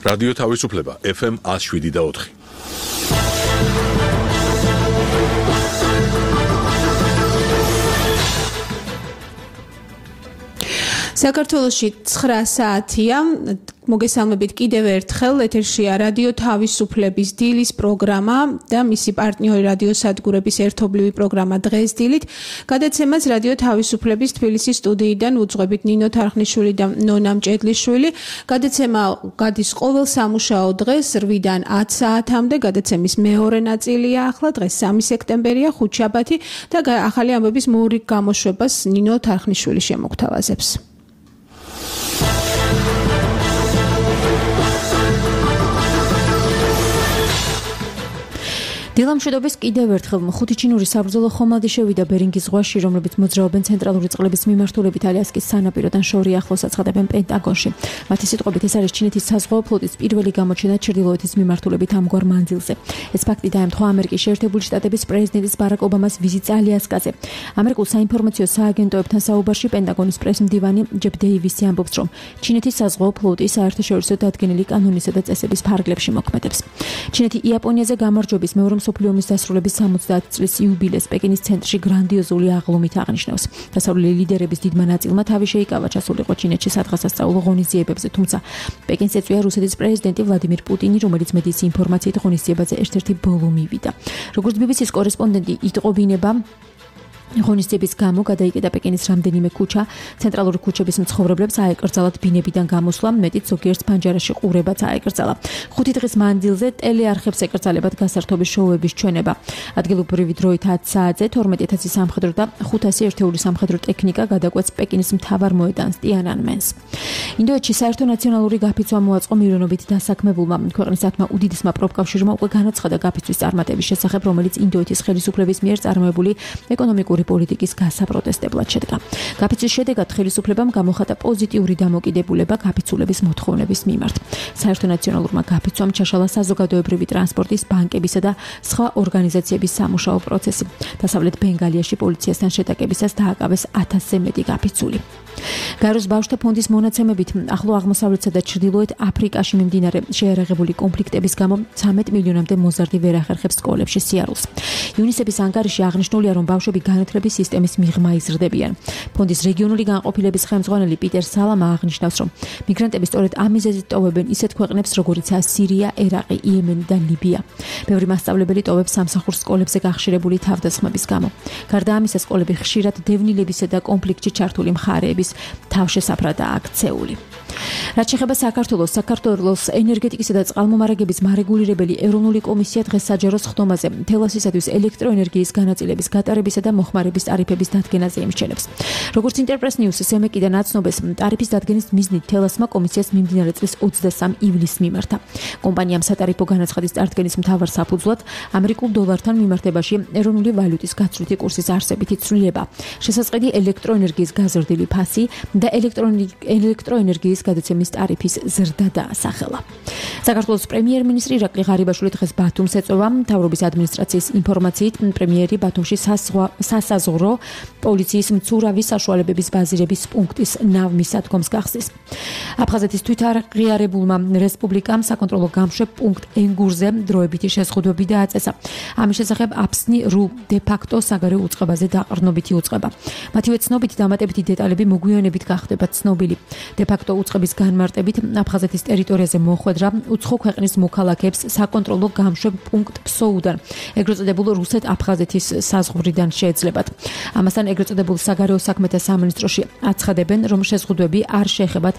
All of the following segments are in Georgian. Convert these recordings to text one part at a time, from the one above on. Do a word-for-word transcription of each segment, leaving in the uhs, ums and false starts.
რადიო თავისუფლება ეფ ემ one oh seven და four. საქართველოში nine საათია. მოგესალმებით კიდევ ერთხელ ეთერშია რადიო თავისუფლების დილის პროგრამა და მისი პარტნიორი რადიო სადგურების ერთობლივი პროგრამა დღეს დილით. გადაცემას რადიო თავისუფლების თბილისის სტუდიიდან უძღვებით ნინო თარხნიშვილი და ნონა მჭედლიშვილი. გადაცემა გადის ყოველ სამუშაო დღეს eight-დან ten საათამდე. გადაცემის მეორე ნაწილია ახლა დღეს three სექტემბერია ხუთშაბათი და ახალი ამბების მოური გამოშვებას ნინო თარხნიშვილი შემოგთავაზებს. დილამშვიდობის კიდევ ერთხელ ხუთი ჩინური საბრძოლო ხომალდი შევიდა ბერინგის ზღვაში, რომლებიც მოძრაობენ ცენტრალური წყლების მიმართულებით ალიასკის სანაპიროდან შორი ახლოს აცხადებენ პენტაგონში. მათი სიტყვებით ეს არის ჩინეთის საზღვაო ფლოტის პირველი გამოჩენა ჩრდილოეთის მიმართულებით ამგვარ მანძილზე. ეს ფაქტი დაემთხვა ამერიკის შეერთებული შტატების პრეზიდენტის ბარაკ ობამას ვიზიტს ალიასკაზე. ამერიკულ საინფორმაციო სააგენტოებთან საუბარში პენტაგონის პრესმდივანი ჯეფ დეივისი ამბობს, რომ ჩინეთის საზღვაო ფლოტი საერთაშორისო დადგენილი კანონისა და წესების ფარგლებში მოქმედებს. ჩინეთი იაპონიაზე გამარჯვების მეორე მსოფლიო ომის დასრულების სამოცდაათი წლის იუბილეს პეკინის ცენტრში გრანდიოზული აღლუმით აღნიშნავს. დასავლელი ლიდერების დიდმა ნაწილმა თავი შეიკავა ჩასულიყო ჩინეთში სადღესასწაულო ღონისძიებებზე, თუმცა პეკინს ეწვია რუსეთის პრეზიდენტი ვლადიმირ პუტინი, რომელიც მედიის ინფორმაციით ღონისძიებაზე ერთ-ერთი ბოლო მივიდა. როგორც ბი ბი სის კორესპონდენტი იტყობინება, ღონისძიების გამო გადაიკეტა პეკინის რამდენიმე ქუჩა. ცენტრალური ქუჩების მცხოვრებლებს აეკრძალათ ბინებიდან გამოსვლა, მეტიც ზოგიერთს ფანჯარაში ყურებაც აეკრძალა. ხუთი დღის მანძილზე ტელეარხებს ეკრძალებათ გასართობის შოუების ჩვენება. ადგილობრივი დროით ten საათზე თორმეტი ათასი სამხედრო და ხუთასი ერთეული სამხედრო ტექნიკა გადაკვეთს პეკინის მთავარ მოედანს ტიანანმენს. ინდოეთში საერთო ნაციონალური გაფიცვა მოაწყო მირონობით დასაქმებულმა ქვეყნის ათმა უდიდესმა პროფკავშირმა უკვე განაცხადა გაფიცვის წარმატების შესახებ, რომელიც ინდოეთის ხელისუფლების მიერ წარმოებული ეკონომიკური პოლიტიკის გასაპროტესტებლად შედგა. გაფიცვის შედეგად ხელისუფლებამ გამოხატა პოზიტიური დამოკიდებულება გაფიცულების მოთხოვნების მიმართ. საერთო ნაციონალურმა გაფიცვამ ჩაშალა საზოგადოებრივი ტრანსპორტის, ბანკებისა და სხვა ორგანიზაციების სამუშაო პროცესი. დასავლეთ ბენგალიაში პოლიციასთან შეტაკებისას დააკავეს ათასზე მეტი გაფიცული. გაეროს ბავშვთა ფონდის მონაცემებით ახლო აღმოსავლეთსა და ჩრდილოეთ აფრიკაში მიმდინარე შეიარაღებული კონფლიქტების გამო ცამეტ მილიონამდე მოზარდი ვერ ახერხებს სკოლებში სიარულს. იუნისეფის ანგარიში აღნიშნულია, რომ ბავშვები განათლების სისტემის მიღმა იზრდებიან. ფონდის რეგიონული განყოფილების ხელმძღვანელი პიტერ სალამა აღნიშნავს, რომ მიგრანტები სწორედ ამ მიზეზით ტოვებენ ისეთ ქვეყნებს, როგორიცაა სირია, ერაყი, იემენი და ლიბია. ბევრი მასწავლებელი ტოვებს სამსახურს სკოლებზე გახშირებული თავდასხმების გამო. გარდა ამისა, სკოლები ხშირად დევნილებისა და კონფლიქტში ჩართული მხარეების თავშესაფრადაა აქცეული. რაც შეეხება საქართველოს, საქართველოს ენერგეტიკისა და წყალმომარაგების მარეგულირებელი ეროვნული კომისია დღეს საჯარო სხდომაზე თელასისათვის ელექტროენერგიის განაწილების გატარებისა და მოხმარების ტარიფების დადგენაზე იმსჩენებს. როგორც ინტერპრეს ნიუს სემეკიდან აცნობს, ტარიფის დადგენის მიზნით თელასმა კომისიას მიმდინარე წლის ოცდასამი ივლისს მიმართა. კომპანიამ სატარიფო განაცხადის წარდგენის მთავარ საფუძვლად ამერიკულ დოლართან მიმართებაში ეროვნული ვალუტის გაცვლითი კურსის არსებითი ცვლილება, შესაძლებელი ელექტროენერგიის გაზრდილი ფასი და ელექტროენერგიის გადაცემის ტარიფის ზრდა დაასახელა. საქართველოს პრემიერ-მინისტრი ირაკლი ღარიბაშვილი დღეს ბათუმს ეწევა. მთავრობის ადმინისტრაციის ინფორმაციით, პრემიერი ბათუმში სასაზღვრო პოლიციის მცურავი საშუალებების ბაზირების პუნქტის ნავმისადგომს გახსნის. აფხაზეთის თვითაღიარებულმა რესპუბლიკამ საკონტროლო გამშვებ პუნქტ ენგურზე დროებითი შეზღუდვები დააწესა. ამის შესახებ აფსნი რუ დე-ფაქტო საგარეო უწყებაზე დაყრდნობითი უწყება. მათივე ცნობით დამატებითი დეტალები მოგვიანებით გახდება ცნობილი. დე-ფაქტო უწყების განმარტებით აფხაზეთის ტერიტორიაზე მოხვედრა უცხო ქვეყნის მოქალაქეებს საკონტროლო გამშვებ პუნქტ ფსოუდან, ეგრეთ წოდებულ რუსეთ-აფხაზეთის საზღვრიდან შეეძლებათ. ამასთან ეგრეთ წოდებულ საგარეო საქმეთა სამინისტროში აცხადებენ, რომ შეზღუდვები არ შეეხებათ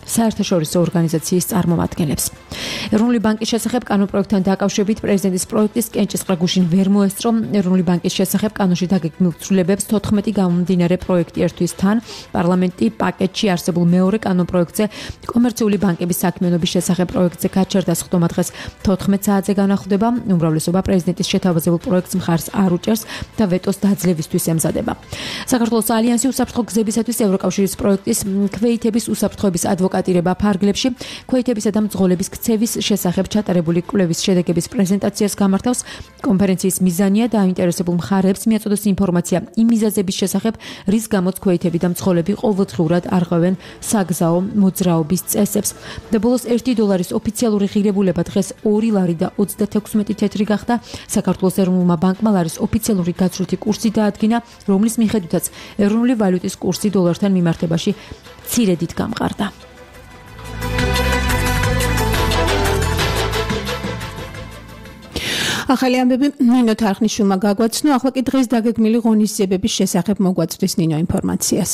საერთაშორისო ორგანიზაციის წარმომადგენლებს. ეროვნული ბანკის შესახებ კანონპროექტთან დაკავშირებით პრეზიდენტის პროექტის კენჭისყრა გუშინ ვერ მოესწრო. ეროვნული ბანკის შესახებ კანონში დაგეგმილ ცვლილებებს თოთხმეტი გამომდინარე პროექტი ერთვის თან. პარლამენტი პაკეტში არსებულ მეორე კანონპროექტზე კომერციული ბანკების საქმიანობის შესახებ პროექტზე გაჩერდა სხდომა დღეს თოთხმეტ საათზე განახლდება. უმრავლესობა პრეზიდენტის შეთავაზებულ პროექტს მხარს არ უჭერს და ვეტოს დაძლევისთვის ემზადება. საქართველოს ალიანსი უსაფრთხო გზებისათვის ევროკავშირის პროექტის ქვეითების უსაფრთხოების ადვოკატი ადვოკატირება ფარგლებში, ქვეითებისა და მძღოლების ქცევის შესახებ ჩატარებული კვლევის შედეგების პრეზენტაციას გამართავს. კონფერენციის მიზანია დაინტერესებულ მხარეებს მიაწოდოს ინფორმაცია იმ მიზეზების შესახებ, რის გამოც ქვეითები და მძღოლები ყოველდღიურად არღვევენ საგზაო მოძრაობის წესებს. და ბოლოს ერთი დოლარის ოფიციალური ღირებულება დღეს ორი ლარი და ოცდათექვსმეტი თეთრი გახდა. საქართველოს ეროვნულმა ბანკმა ლარის ოფიციალური გაცვლითი კურსი დაადგინა, რომლის მიხედვითაც ეროვნული ვალუტის კურსი დოლართან მიმართებაში მცირედით გამყარდა. ახალი ამბები ნინო თარხნიშვილმა გაგვაცნო, ახლა კი დღეს დაგეგმილი ღონისძიებების შესახებ მოგვაწვდის ნინო ინფორმაციას.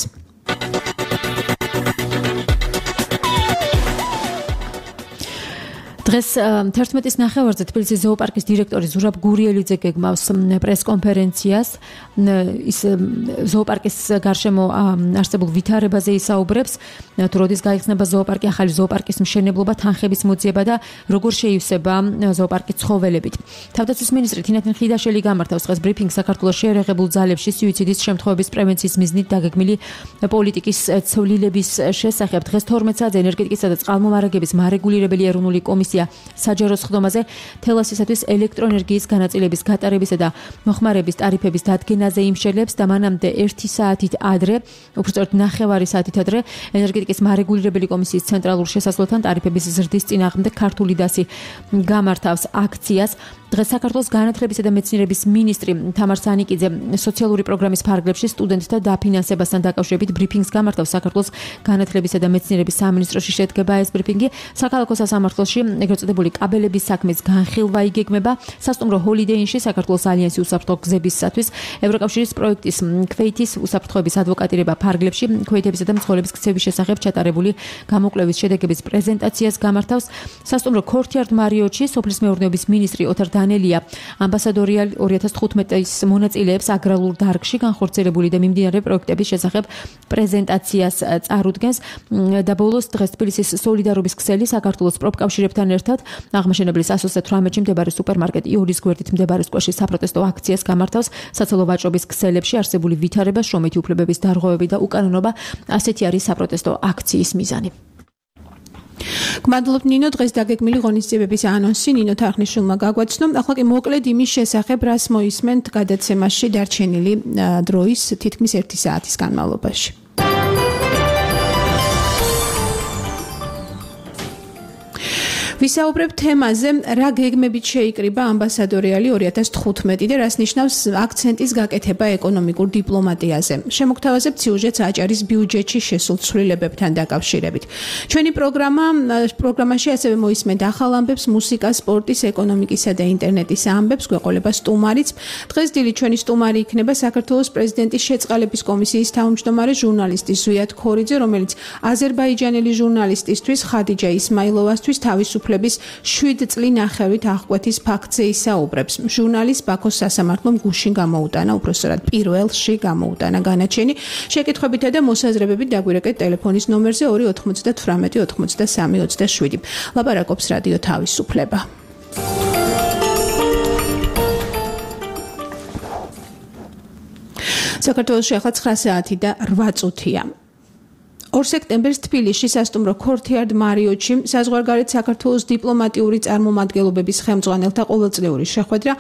დღეს თერთმეტის ნახევარზე თბილისის ზოოპარკის დირექტორი ზურაბ გურიელიძე გეგმავს პრეს-კონფერენციას. ის ზოოპარკის გარშემო არსებულ ვითარებაზე ისაუბრებს, თუ როდის გაიხსნება ზოოპარკი, ახალი ზოოპარკის მშენებლობა, თანხების მოძიება და როგორ შეივსება ზოოპარკის ცხოველებით. თავდაცვის მინისტრი თინათინ ხიდაშელი გამართავს დღეს ბრიფინგს საქართველოს შეერაღებულ ძალებში სუიციდის შემთხვევების პრევენციის მიზნით დაგეგმილი პოლიტიკის ცვლილების შესახებ. დღეს თორმეტ საათზე ენერგეტიკისა და წყალმომარაგების მარეგულირებელი ეროვნული კომისია საჯარო სხდომაზე თელასისათვის ელექტროენერგიის განაწილების გატარებისა და მოხმარების ტარიფების დადგენაზე იმშელებს და მანამდე ერთი საათით ადრე, უბრალოდ ნახევარი საათით ადრე ენერგეტიკის მარეგულირებელი კომისიის ცენტრალურ შესასვლელთან ტარიფების ზრდის წინააღმდეგ ქართული დასი გამართავს აქციას. დღეს საქართველოს განათლებისა და მეცნიერების მინისტრი თამარ სანიკიძე სოციალური პროგრამის ფარგლებში სტუდენტთა დაფინანსებასთან დაკავშირებით ბრიფინგს გამართავს. საქართველოს განათლებისა და მეცნიერების სამინისტროში შედგება ეს ბრიფინგი. საქალაქო სასამართლოში ეგრეთ წოდებული კაბელების საქმის განხილვა იგეგმება. სასტუმრო ჰოლიდეინში საქართველოს ალიანსი უსაფრთხო გზებისათვის ევროკავშირის პროექტის ქვეითის უსაფრთხოების ადვოკატირება ფარგლებში ქვეითებისა და მძღოლების ქცევის შესახებ ჩატარებული გამოკვლევის შედეგების პრეზენტაციას გამართავს. სასტუმრო ქორთიარდ მარიოტში სოფლის მეურნეობის მინისტრი ოთარ დანელია ამბასადორი ორი ათას თხუთმეტის მონაწილეებს აგრარულ დარგში განხორციელებული და მიმდინარე პროექტების შესახებ პრეზენტაციას წარუდგენს. და ბოლოს დღეს თბილისის სოლიდარობის ქსელი საქართველოს პროფკავშირებთან ერთად აღმაშენებლის ასოცია თვრამეტში მდებარე სუპერმარკეტ იულის გვერდით მდებარე სკოლაში საპროტესტო აქციას გამართავს. საცალო ვაჭრობის ქსელებში არსებული ვითარება, შრომითი უფლებების დარღვევები და უკანონობა, ასეთი არის საპროტესტო აქციის მიზანი. გმადლობთ ნინო, დღეს დაგეგმილი ღონისძიებების ანონსი ნინო თარხნიშვილმა გაგვაცნო. ახლა კი მოკლედ იმის შესახებ, რას მოისმენთ გადაცემაში დარჩენილი დროის თითქმის ერთი საათის განმავლობაში. ვისაუბრებ თემაზე, რა გეგმებით შეიკრიბა ამბასადორიალი ორი ათას თხუთმეტი და რას ნიშნავს აქცენტის გაკეთება ეკონომიკურ დიპლომატიაზე. შემოგთავაზებთ სიუჟეტს აჭარის ბიუჯეტში შესულ ცვლილებებთან დაკავშირებით. ჩვენი პროგრამა პროგრამაში ასევე მოისმენთ ახალ ამბებს, მუსიკას, სპორტის, ეკონომიკისა და ინტერნეტის ამბებს, გვეყოლება სტუმარიც. დღეს დილით ჩვენი სტუმარი იქნება საქართველოს პრეზიდენტის შეწყალების კომისიის თავმჯდომარე ჟურნალისტი ზვიად ქორიძე, რომელიც აზერბაიჯანელი ჟურნალისტისთვის ხადიჯა ისმაილოვასთვის თავისუფლ შვიდ წლინახევრით აღკვეთის ფაქტზე ისაუბრებს. ჟურნალისტ ბაქოს სასამართლომ გუშინ გამოუტანა, უпроსტად პირველში გამოუტანა განაჩენი. შეკითხვებითა და მოსაზრებებით დაგვირეკეთ ტელეფონის ნომერზე ორი ოთხმოცდათვრამეტი ოცდასამი ოცდაშვიდი. ლაპარაკობს რადიო თავისუფლება. საქართველოში ახლა ცხრა საათი და რვა წუთია. ორ სექტემბერს თბილისში სასტუმრო ქორთიარდ მარიოტში საზღვარგარეთ საქართველოს დიპლომატიური წარმომადგენლობების ხელმძღვანელთა ყოველწლიური შეხვედრა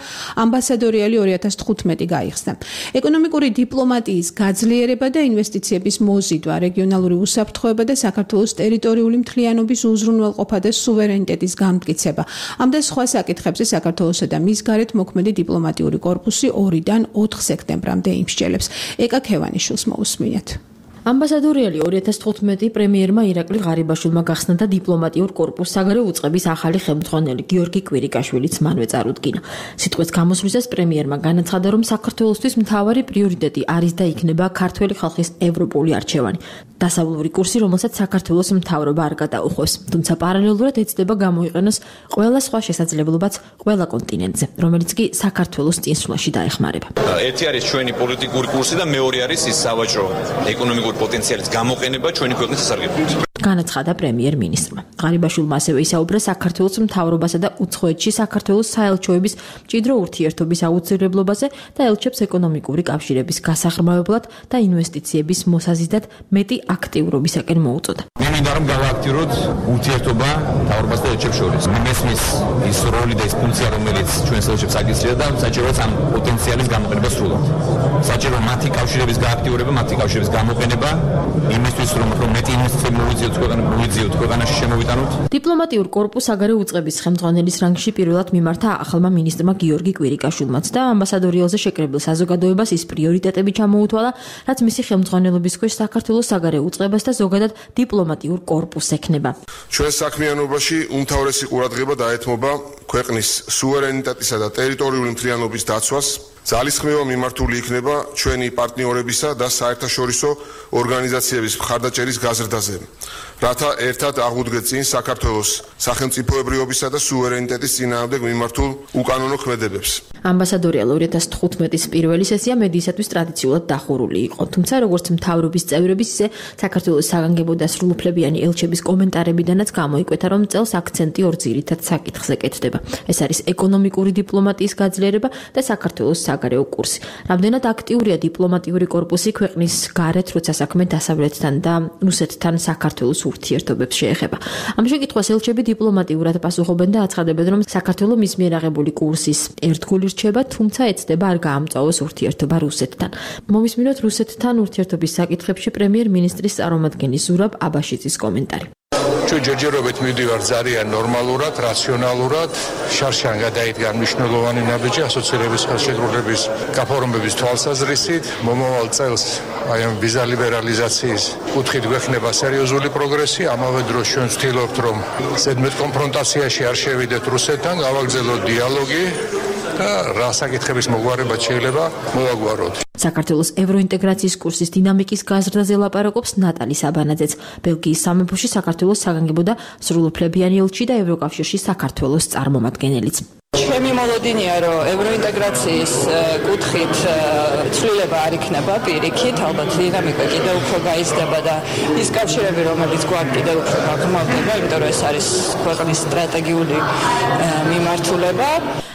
ამბასადორიალი ორი ათას თხუთმეტი გაიხსნა. ეკონომიკური დიპლომატიის გაძლიერება და ინვესტიციების მოზიდვა, რეგიონალური უსაფრთხოება და საქართველოს ტერიტორიული მთლიანობის უზრუნველყოფა და სუვერენიტეტის გამტკიცება. ამ და სხვა საკითხებზე საქართველოსა და მის გარეთ მოქმედი დიპლომატიური კორპუსი ორიდან ოთხ სექტემბრამდე იმსჯელებს. ეკა ქევანიშვილს მოусმინეთ. ამბასადორიალი ორი ათას თხუთმეტი პრემიერმა ირაკლი ღარიბაშვილმა გახსნა და დიპლომატიურ კორპუსს საგარეო უწყების ახალი ხელმძღვანელი გიორგი კვირიკაშვილიც მანვე წარუდგინა. სიტყვის გამოსვლისას პრემიერმა განაცხადა, რომ საქართველოსთვის მთავარი პრიორიტეტი არის და იქნება ქართველი ხალხის ევროპული არჩევანი. დასავლური კურსი, რომელსაც საქართველოს მთავრობა არ გადაუხვევს, თუმცა პარალელურად ეცდება გამოიყენოს ყველა სხვა შესაძლებლობაც ყველა კონტინენტზე, რომელიც კი საქართველოს წინსვლაში დაეხმარება. ერთი არის ჩვენი პოლიტიკური კურსი და მეორე არის ის სავაჭრო ეკონომიკური პოტენციალის გამოყენება ჩვენი ქვეყნის სასარგებლოდ. განაცხადა პრემიერ-მინისტრმა. ღარიბაშვილმა ასევე ისაუბრა საქართველოს მთავრობასა და უცხოეთში საქართველოს საელჩოების მჭიდრო ურთიერთობის აუცილებლობაზე და ელჩებს ეკონომიკური კავშირების გასაღრმავებლად და ინვესტიციების მოსაზიდად მეტი აქტიურობისაკენ მოუწოდა. მე მინდა რომ გავაქტიუროთ ურთიერთობა მთავრობას და ელჩებს შორის. მესმის ის როლი და ის ფუნქცია, რომელიც ჩვენს ელჩებს აკისრია და საჭიროა ამ პოტენციალის გამოყენება სრულად. საჭიროა მათი კავშირების გააქტიურება, მათი კავშირების გამოყენება იმისთვის, რომ მეტი ინვესტიციები მოვიძიოთ მოვიძიოთ ქვეყანაში შემოვიტანოთ. დიპლომატიურ კორპუს საგარეო უწყების ხელმძღვანელის რანგში პირველად მიმართა ახალმა მინისტრმა გიორგი კვირიკაშვილმაც და ამბასადორი ელზე შეკრებილ საზოგადოებას ის პრიორიტეტები ჩამოუთვალა, რაც მისი ხელმძღვანელობის ქვეშ საქართველოს საგარეო უწყებას და ზოგადად დიპლომატიურ კორპუსს ექნება. ჩვენ საქმიანობაში უმთავრესი ყურადღება დაეთმობა ქვეყნის სუვერენიტეტისა და ტერიტორიული მთლიანობის დაცვას. ძალისხმევა მიმართული იქნება ჩვენი პარტნიორებისა და საერთაშორისო ორგანიზაციების მხარდაჭერის გაზრდაზე, რათა ერთად აღვდგეთ წინ საქართველოს სახელმწიფოებრიობისა და სუვერენიტეტის წინააღმდეგ მიმართულ უკანონო ქმედებებს. ამბასადორიალ ორი ათას თხუთმეტის პირველი სესია მედიისათვის ტრადიციულად დახურული იყო, თუმცა როგორც მთავრობის წევრების, ისე საქართველოს საგანგებო და სრულუფლებიანი ელჩების კომენტარებიდანაც გამოიკვეთა, რომ წელს აქცენტი ორ ძირითად საკითხზე კეთდება. ეს არის ეკონომიკური დიპლომატიის გაძლიერება და საქართველოს საგარეო კურსი. რამდენად აქტიურია დიპლომატიური კორპუსი ქვეყნის გარეთ, როცა საქმე დასავლეთთან და რუსეთთან საქართველოს ურთიერთობებს შეეხება. ამ შეკითხვას ელჩები დიპლომატიურად პასუხობენ და აცხადებენ, რომ საქართველო მის მიერ აღებული კურსის ერთგული რჩება, თუმცა ეცდება არ გაამწვავოს ურთიერთობა რუსეთთან. მომისმინოთ რუსეთთან ურთიერთობის საკითხებში პრემიერ-მინისტრის წარმომადგენლის ზურაბ აბაშიძის კომენტარი. ჩვენ ჯერჯერობით მივდივართ ძალიან ნორმალურად, რაციონალურად, შარშან გადაიდგა მნიშვნელოვანი ნაბიჯი ასოცირების ხელშეკრულების გაფორმების თვალსაზრისით. მომავალ წელს აი ამ ვიზა ლიბერალიზაციის კუთხით გვექნება სერიოზული პროგრესი. ამავე დროს ჩვენ ვცდილობთ, რომ ზედმეტ კონფრონტაციაში არ შევიდეთ რუსეთთან, გავაგრძელოთ დიალოგი და რა საკითხების მოგვარება შეიძლება მოვაგვაროთ. საქართველოს ევროინტეგრაციის კურსის დინამიკის გაზრდაზე ლაპარაკობს ნატალი საბანაძეც. ბელგიის სამეფოში საქართველოს საგანგებო და სრულუფლებიანი ელჩი და ევროკავშირში საქართველოს წარმომადგენელიც. ჩემი მოლოდინია, რომ ევროინტეგრაციის კუთხით ცვლილება არ იქნება პირიქით, ალბათ დინამიკა კიდევ უფრო გაიზრდება და ის კავშირები, რომელიც გვაქვს კიდევ უფრო გაღრმავდება, იმიტომ რომ ეს არის ქვეყნის სტრატეგიული მიმართულება.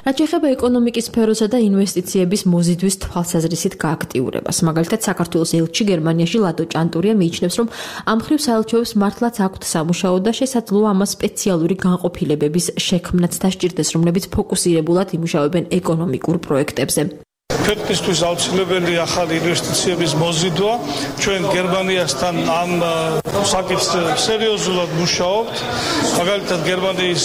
რაც ეხება ეკონომიკის სფეროსა და ინვესტიციების მოზიდვის თვალსაზრისით გააქტიურებას. მაგალითად, საქართველოს ელჩი გერმანიაში ლადო ჭანტურია მიიჩნევს, რომ ამ მხრივ საელჩოებს მართლაც აქვთ სამუშაო და შესაძლოა ამას სპეციალური განყოფილებების შექმნაც დასჭირდეს, რომლებიც ფოკუსირებულად იმუშავებენ ეკონომიკურ პროექტებზე. ქვეყნისთვის აუცილებელი ახალი ინვესტიციების მოზიდვა. ჩვენ გერმანიასთან ამ საკითხზე სერიოზულად მუშაობთ. მაგალითად, გერმანიის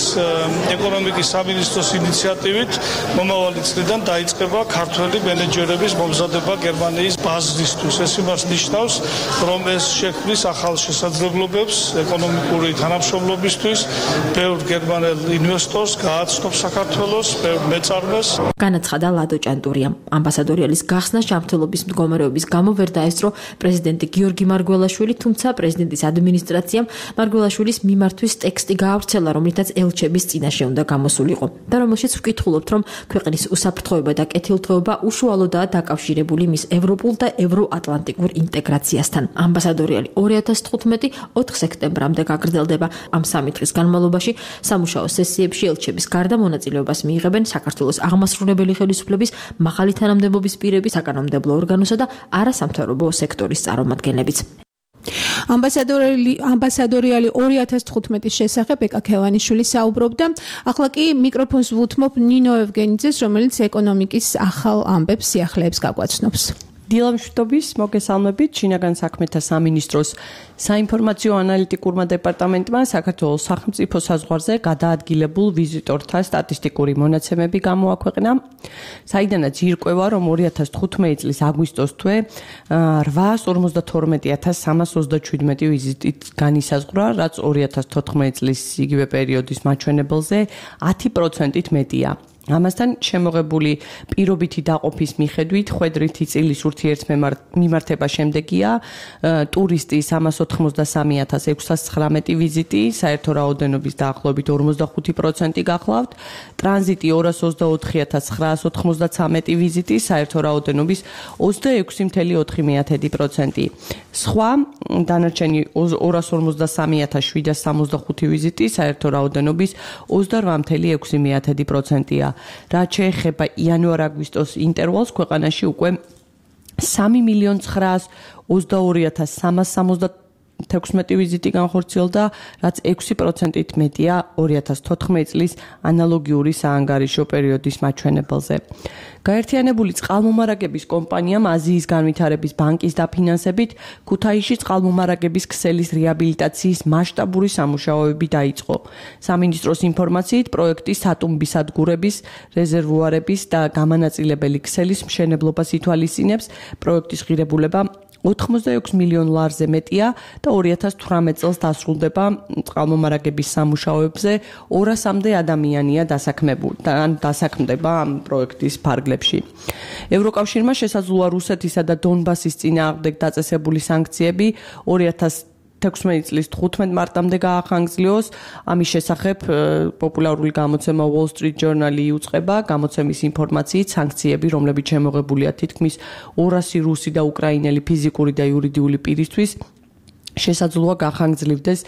ეკონომიკის სამინისტროს ინიციატივით მომავალი წლიდან დაიწყება ქართველი მენეჯერების მომზადება გერმანიის ბაზისთვის. ეს იმას ნიშნავს, რომ ეს შექმნის ახალ შესაძლებლობებს ეკონომიკური თანამშრომლობისთვის, ბევრ გერმანელ ინვესტორს გააცნობს საქართველოს, ბევრ მეწარმეს. განაცხადა ლადო ჭანტურიამ. ამბასადორიალის გახსნა ჯანმრთელობის მდგომარეობის გამო ვერ დაესწრო პრეზიდენტი გიორგი მარგველაშვილი, თუმცა პრეზიდენტის ადმინისტრაციამ მარგველაშვილის მიმართვის ტექსტი გაავრცელა, რომლითაც ელჩების წინაშე უნდა გამოსულიყო და რომელშიც ვკითხულობთ, რომ ქვეყნის უსაფრთხოება და კეთილდღეობა უშუალოდაა დაკავშირებული მის ევროპულ და ევროატლანტიკურ ინტეგრაციასთან. ამბასადორიალი ორი ათას თხუთმეტი ოთხ სექტემბრამდე გაგრძელდება. ამ სამი დღის განმავლობაში სამუშაო სესიებში ელჩების გარდა მონაწილეობას მიიღებენ საქართველოს აღმასრულებელი ხელისუფლების მაღალი თანამდებობის პირები, საკანონმდებლო ორგანოსა და არასამთავრობო სექტორის წარმომადგენლებიც. ამბასადორიალი ამბასადორიალი ორი ათას თხუთმეტის შესახებ ეკა ქევანიშვილი საუბრობდა. ახლა კი მიკროფონს ვუთმობ ნინო ევგენიძეს, რომელიც ეკონომიკის ახალ ამბებს სიახლეებს გაგვაცნობს. დილამშვიდობის მოგესალმებით. შინაგან საქმეთა სამინისტროს საინფორმაციო ანალიტიკურმა დეპარტამენტმა საქართველოს სახელმწიფო საზღვარზე გადაადგილებულ ვიზიტორთა სტატისტიკური მონაცემები გამოაქვეყნა, საიდანაც ირკვევა, რომ ორი ათას თხუთმეტი წლის აგვისტოს თვე რვაას ორმოცდათორმეტი ათას სამას ოცდაშვიდმეტი ვიზიტით განისაზღვრა, რაც ორი ათას თოთხმეტი წლის იგივე პერიოდის მაჩვენებელზე ათი პროცენტით მეტია. ამასთან შემოღებული პირობითი დაყოფის მიხედვით ხვედრითი წილის ურთიერთმემართება შემდეგია ტურისტი სამას ოთხმოცდასამი ათას ექვსას ცხრამეტი ვიზიტი, საერთო რაოდენობის დაახლოებით ორმოცდახუთი პროცენტი გახლავთ, ტრანზიტი ორას ოცდაოთხი ათას ცხრაას ოთხმოცდაცამეტი ვიზიტი, საერთო რაოდენობის ოცდაექვსი კoma ოთხი პროცენტი. სხვა დანარჩენი ორას ორმოცდასამი ათას შვიდას სამოცდახუთი ვიზიტი, საერთო რაოდენობის ოცდარვა კoma ექვსი პროცენტია. რაც შეეხება იანვარ-აგვისტოს ინტერვალს, ქვეყანაში უკვე სამი მილიონი ცხრაას ოცდაორი ათას სამას სამოცდათექვსმეტი ვიზიტი განხორციელდა, რაც ექვსი პროცენტით მეტია ორი ათას თოთხმეტი წლის ანალოგიური საანგარიშო პერიოდის მაჩვენებელზე. გაერთიანებული წყალმომარაგების კომპანიამ აზიის განვითარების ბანკის დაფინანსებით ქუთაისში წყალმომარაგების ქსელის რეაბილიტაციის მასშტაბური სამუშაოები დაიწყო. სამინისტროს ინფორმაციით, პროექტი სატუმბი სადგურების, რეზერვუარების და გამანაწილებელი ქსელის მშენებლობას ითვალისწინებს. პროექტის ღირებულება ოთხმოცდაექვსი მილიონ ლარზე მეტია და ორი ათას თვრამეტი წელს დასრულდება. წყალმომარაგების სამუშაოებზე ორასამდე ადამიანია დასაქმებული და ან დასაქმდება ამ პროექტის ფარგლებში. ევროკავშირმა შესაძლოა რუსეთისა და დონბასის წინააღმდეგ დაწესებული სანქციები ორი ათას თექვსმეტი წლის თხუთმეტი მარტამდე გაახანგრძლივოს. ამის შესახებ პოპულარული გამოცემა Wall Street Journal-ი იუწყება გამოცემის ინფორმაციით, სანქციები, რომლებიც შემოღებულია თითქმის ორასი რუსი და უკრაინელი ფიზიკური და იურიდიული პირისთვის, შესაძლოა გახანგრძლივდეს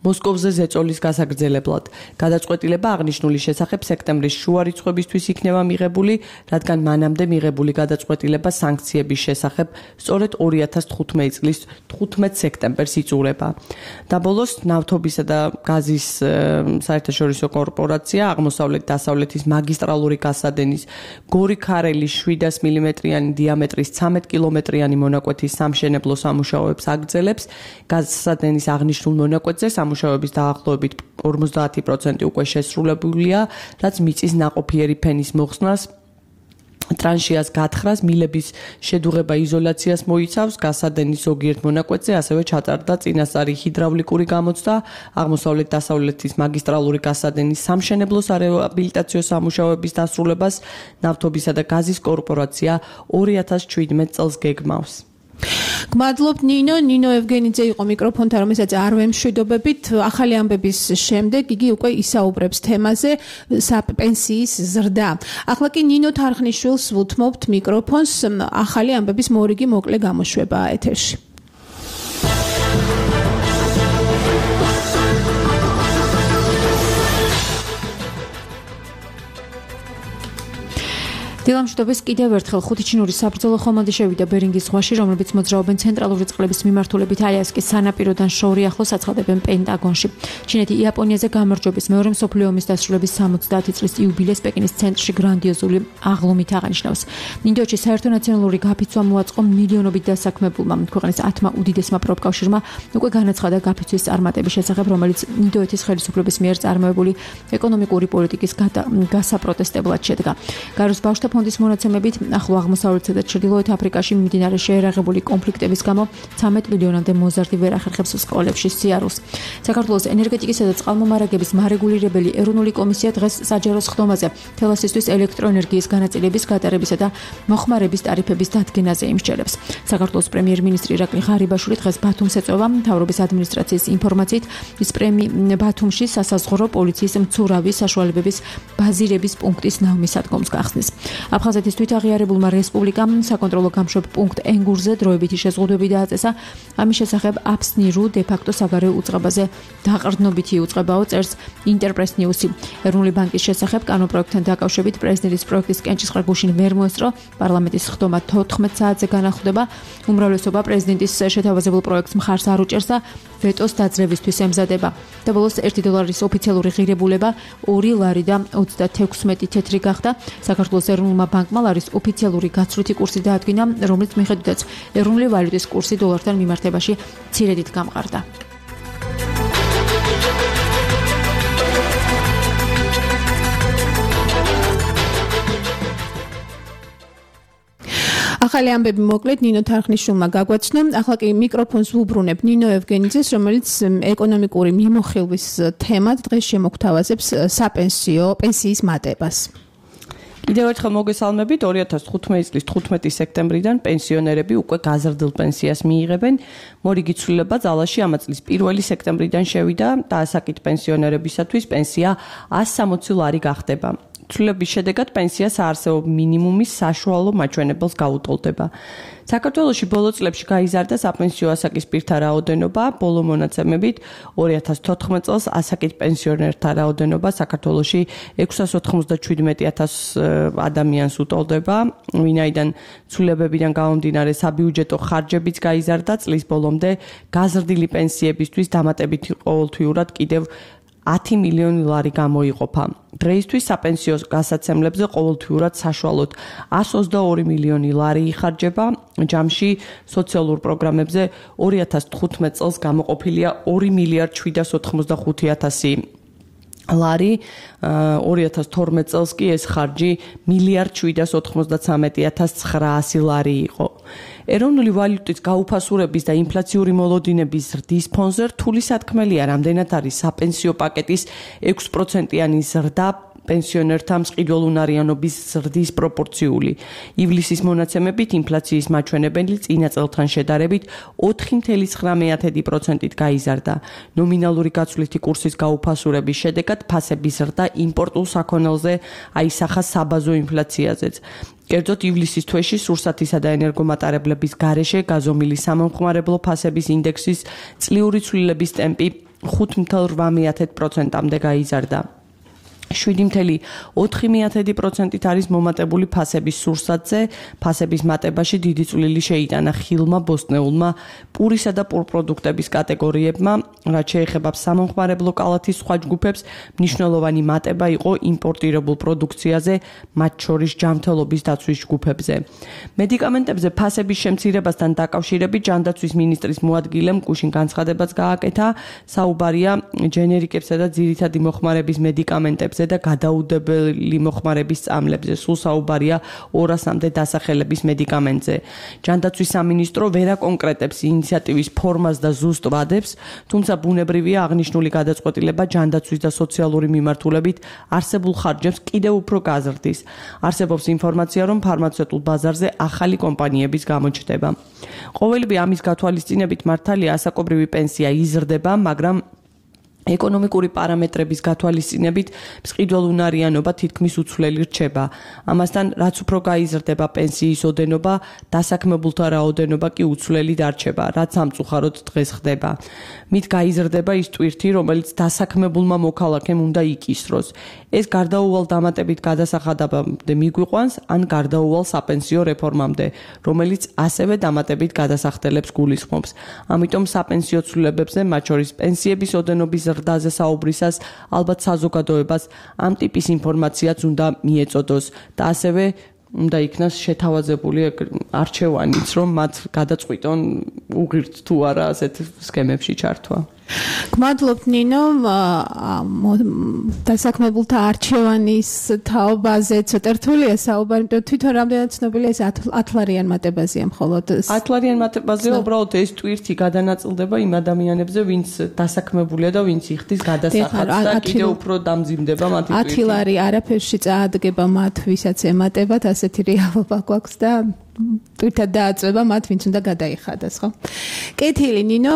მოსკოვზე ზეწოლის გასაგრძელებლად. გადაწყვეტილება აღნიშნული შესახებ სექტემბრის შუა რიცხვებისთვის იქნება მიღებული, რადგან მანამდე მიღებული გადაწყვეტილება სანქციების შესახებ სწორედ ორი ათას თხუთმეტი წლის თხუთმეტი სექტემბერს იწურება. და ბოლოს ნავთობისა და გაზის საერთაშორისო კორპორაცია აღმოსავლეთ-დასავლეთის მაგისტრალური გასადენის გორი-ქარელის შვიდას მილიმეტრიანი დიამეტრის ცამეტი კილომეტრიანი მონაკვეთის სამშენებლო სამუშაოებს აგრძელებს. გასადენის აღნიშნულ მონაკვეთზე სამუშაოების დაახლოებით ორმოცდაათი პროცენტი უკვე შესრულებულია, რაც მიწის ნაყოფიერი ფენის მოხსნას, ტრანშიას გათხრას, მილების შედუღება იზოლაციას მოიცავს. გასადენის ზოგიერთ მონაკვეთზე ასევე ჩატარდა წინასწარი ჰიდრავლიკური გამოცდა. აღმოსავლეთ-დასავლეთის მაგისტრალური გასადენის სამშენებლო სარეაბილიტაციო სამუშაოების დასრულებას ნავთობისა და გაზის კორპორაცია ორი ათას შვიდმეტი წელს გეგმავს. გმადლობ ნინო, ნინო ევგენიძე იყო მიკროფონთან, რომელსაც არ ვემშვიდობებით. ახალი ამბების შემდეგ იგი უკვე ისაუბრებს თემაზე საპენსიის ზრდა. ახლა კი ნინო თარხნიშვილს ვუთმობთ მიკროფონს, ახალი ამბების მორიგი მოკლე გამოშვება ეთერში. დილამშვიდობის კიდევ ერთხელ ხუთი ჩინური საბრძოლო ხომალდი შევიდა ბერინგის ზღვაში, რომლებიც მოძრაობენ ცენტრალური წყლების მიმართულებით ალიასკის სანაპიროდან შორი ახლოს აცხადებენ პენტაგონში. ჩინეთი იაპონიაზე გამარჯვების მეორე მსოფლიო ომის დასრულების სამოცდაათი წლის იუბილეს პეკინის ცენტრში გრანდიოზული აღლუმით აღნიშნავს. ინდოეთში საერთო ნაციონალური გაფიცვა მოაწყო მილიონობით დასაქმებულმა. ქვეყნის ათმა უდიდესმა პროფკავშირმა უკვე განაცხადა გაფიცვის წარმატების შესახებ, რომელიც ინდოეთის ხელისუფლების მიერ წარმოებული ეკონომიკური პოლიტიკის გასაპროტესტებლად შედგა. გაროს ბავშვთა ფონდის მონაცემებით ახლო აღმოსავლეთსა და ჩრდილოეთ აფრიკაში მიმდინარე შეერაღებული კონფლიქტების გამო ცამეტ მილიონამდე მოზარდი ვერ ახერხებს სკოლებში სიარულს. საქართველოს ენერგეტიკისა და წყალმომარაგების მარეგულირებელი ეროვნული კომისია დღეს საჯარო სხდომაზე თელასისთვის ელექტროენერგიის განაწილების გატარებისა და მოხმარების ტარიფების დადგენაზე იმსჯელებს. საქართველოს პრემიერ-მინისტრი ირაკლი ღარიბაშვილი დღეს ბათუმს ეწვევა. მთავრობის ადმინისტრაციის ინფორმაციით, ის ბათუმში სასაზღვრო პოლიციის მცურავი საშუალებების ბაზირების პუნქტის ნავმისადგომს გახსნის. აფხაზეთის თვითაღიარებულმა რესპუბლიკამ საკონტროლო გამშვებ პუნქტ ენგურზე დროებითი შეზღუდვები დააწესა. ამის შესახებ აფსნირუ დე-ფაქტო საგარეო უწყებაზე დაყრდნობითი უწყებაო წერს ინტერპრეს ნიუსი. ეროვნული ბანკის შესახებ კანონპროექტთან დაკავშირებით პრეზიდენტის პროექტის კენჭისყრა გუშინ ვერ მოესწრო. პარლამენტის სხდომა თოთხმეტ საათზე განახლდება. უმრავლესობა პრეზიდენტის შეთავაზებულ პროექტს მხარს არ უჭერს და ვეტოს დაძლევისთვის ემზადება. და ბოლოს ერთი დოლარის ოფიციალური ღირებულება ორი ლარი და ოცდათექვსმეტი თეთრი გახდა. საქართველოს ეროვნულმა ბანკმა ლარის ოფიციალური გაცვლითი კურსი დაადგინა, რომელიც მიხედვითაც ეროვნული ვალუტის კურსი დოლართან მიმართებაში მცირედით გამყარდა. ახალი ამბები მოკლედ ნინო თარხნიშვილმა გაგვაცნო. ახლა კი მიკროფონს ვუბრუნებ ნინო ევგენიძეს, რომელიც ეკონომიკური მიმოხილვის თემად დღეს შემოგთავაზებს საპენსიო პენსიის მატებას. კიდევ ერთხელ მოგესალმებით. ორი ათას თხუთმეტი წლის თხუთმეტი სექტემბრიდან პენსიონერები უკვე გაზრდილ პენსიას მიიღებენ. მორიგი ცვლილება ძალაში ამ წლის პირველი სექტემბრიდან შევიდა და ასაკით პენსიონერებისათვის პენსია ას სამოცი ლარი გახდება. ცვლილების შედეგად პენსია საარსებო მინიმუმის საშუალო მაჩვენებელს გაუტოლდება. საქართველოში ბოლო წლებში გაიზარდა საპენსიო ასაკის პირთა რაოდენობა, ბოლო მონაცემებით ორი ათას თოთხმეტ წელს ასაკით პენსიონერთა რაოდენობა საქართველოში ექვსას ოთხმოცდაშვიდმეტი ათას ადამიანს უტოლდება, ვინაიდან ცვლილებებიდან გამომდინარე საბიუჯეტო ხარჯებიც გაიზარდა, წლის ბოლომდე გაზრდილი პენსიებისთვის დამატებითი ყოველთვიურად კიდევ ათი მილიონი ლარი გამოიყოფა. დღეისთვის საპენსიო გასაცემლებზე ყოველთვიურად საშუალოდ ას ოცდაორი მილიონი ლარი იხარჯება. ჯამში სოციალურ პროგრამებზე ორი ათას თხუთმეტ წელს გამოყოფილია ორი მილიარდი შვიდას ოთხმოცდახუთი ათასი ლარი, ორი ათას თორმეტ წელს კი ეს ხარჯი მილიარდი შვიდას ოთხმოცდაცამეტი ათას ცხრაასი ლარი იყო. ეროვნული ვალუტის გაუფასურების და ინფლაციური მოლოდინების ზრდის ფონზე რთული სათქმელია, რამდენად არის საპენსიო პაკეტის ექვს პროცენტიანი ზრდა პენსიონერთა მსყიდველუნარიანობის ზრდის პროპორციული. ივლისის მონაცემებით ინფლაციის მაჩვენებელი წინა წელთან შედარებით ოთხი წუთი ცხრა პროცენტით გაიზარდა. ნომინალური გაცვლითი კურსის გაუფასურების შედეგად ფასების ზრდა იმპორტულ საქონელზე აისახა საბაზო ინფლაციაზეც. კერძოდ ივლისის თვეში სურსათისა და ენერგომატარებლების გარეშე გაზომილი სამომხმარებლო ფასების ინდექსის წლიური ცვლილების ტემპი ხუთი წუთი რვა პროცენტამდე გაიზარდა. შვიდი წუთი ოთხი პროცენტით არის მომატებული ფასების სურსათზე. ფასების მატებაში დიდი წვლილი შეიტანა ხილმა, ბოსტნეულმა, პურისა და პურპროდუქტების კატეგორიებმა, რაც შეეხება სამომხმარებლო კალათის სხვა ჯგუფებს, მნიშვნელოვანი მატება იყო იმპორტირებულ პროდუქციაზე, მათ შორის ჯანმრთელობის დაცვის ჯგუფებზე. მედიკამენტებზე ფასების შემცირებასთან დაკავშირებით ჯანდაცვის მინისტრის მოადგილემ გუშინ განცხადებაც გააკეთა. საუბარია ჯენერიკებსა და ძირითადი მოხმარების მედიკამენტებზე და გადაუდებელი მოხმარების წამლებზე. სულ საუბარია ორასამდე დასახელების მედიკამენტზე. ჯანდაცვის სამინისტრო ვერ აკონკრეტებს ინიციატივის ფორმას და ზუსტ ვადებს, თუმცა ბუნებრივია აღნიშნული გადაწყვეტილება ჯანდაცვის და სოციალური მიმართულებით არსებულ ხარჯებს კიდევ უფრო გაზრდის. არსებობს ინფორმაცია, რომ ფარმაცევტულ ბაზარზე ახალი კომპანიების გამოჩნდება. ყოველივე ამის გათვალისწინებით მართალია ასაკობრივი პენსია იზრდება, მაგრამ ეკონომიკური პარამეტრების გათვალისწინებით მსყიდველუნარიანობა თითქმის უცვლელი რჩება. ამასთან, რაც უფრო გაიზრდება პენსიის ოდენობა, დასაქმებულთა რაოდენობა კი უცვლელი დარჩება, რაც სამწუხაროდ დღეს ხდება. მით გაიზრდება ის ტვირთი, რომელიც დასაქმებულმა მოქალაქემ უნდა იკისროს. ეს გარდაუვალ დამატებით გადასახადამდე მიგვიყვანს, ან გარდაუვალ საპენსიო რეფორმამდე, რომელიც ასევე დამატებით გადასახდელებს გულისხმობს. ამიტომ საპენსიო ცვლილებებზე, მათ შორის პენსიების ოდენობის ზრდაზე საუბრისას ალბათ საზოგადოებას ამ ტიპის ინფორმაციაც უნდა მიეწოდოს და ასევე უნდა იქნას შეთავაზებული არჩევანიც, რომ მათ გადაწყვიტონ უღირთ თუ არა ასეთ სქემებში ჩართვა. გმადლობთ ნინო, დასაქმებულთა არჩევანის თაობაზე ცოტა რთულია საუბარი, იმიტომ თვითონ რამდენად ცნობილია ეს ათლარიან მატებაზეა მხოლოდ. ათლარიან მატებაზეა, უბრალოდ ეს ტვირთი გადანაწილდება იმ ადამიანებზე, ვინც დასაქმებულია და ვინც იხდის გადასახადს და კიდევ უფრო დამძიმდება მათი ტვირთი. ათი ლარი არაფერში წაადგება მათ, ვისაც ემატებათ, ასეთი რეალობა გვაქვს და თვითონ დააწება მათ, ვინც უნდა გადაიხადოს, ხო? კეთილი, ნინო,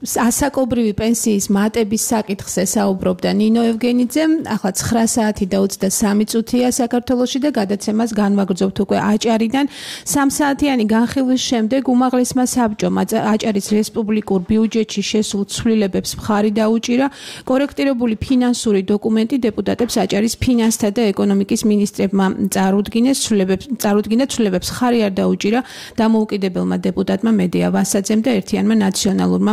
ასაკობრივი პენსიის მატების საკითხზე საუბრობდა ნინო ევგენიძე. ახლა ცხრა საათი და ოცდასამი წუთია საქართველოში და გადაცემას განვაგრძობთ უკვე აჭარიდან. სამ საათიანი განხილვის შემდეგ უმაღლესმა საბჭომ აჭარის რესპუბლიკურ ბიუჯეტში შესულ ცვლილებებს მხარი დაუჭირა. კორექტირებული ფინანსური დოკუმენტი დეპუტატებს აჭარის ფინანსთა და ეკონომიკის მინისტრებმა წარუდგინეს. ცვლილებებს წარუდგინა ცვლილებებს მხარი არ დაუჭირა დამოუკიდებელმა დეპუტატმა მედია ვასაძემ და ერთიანმა ნაციონალურმა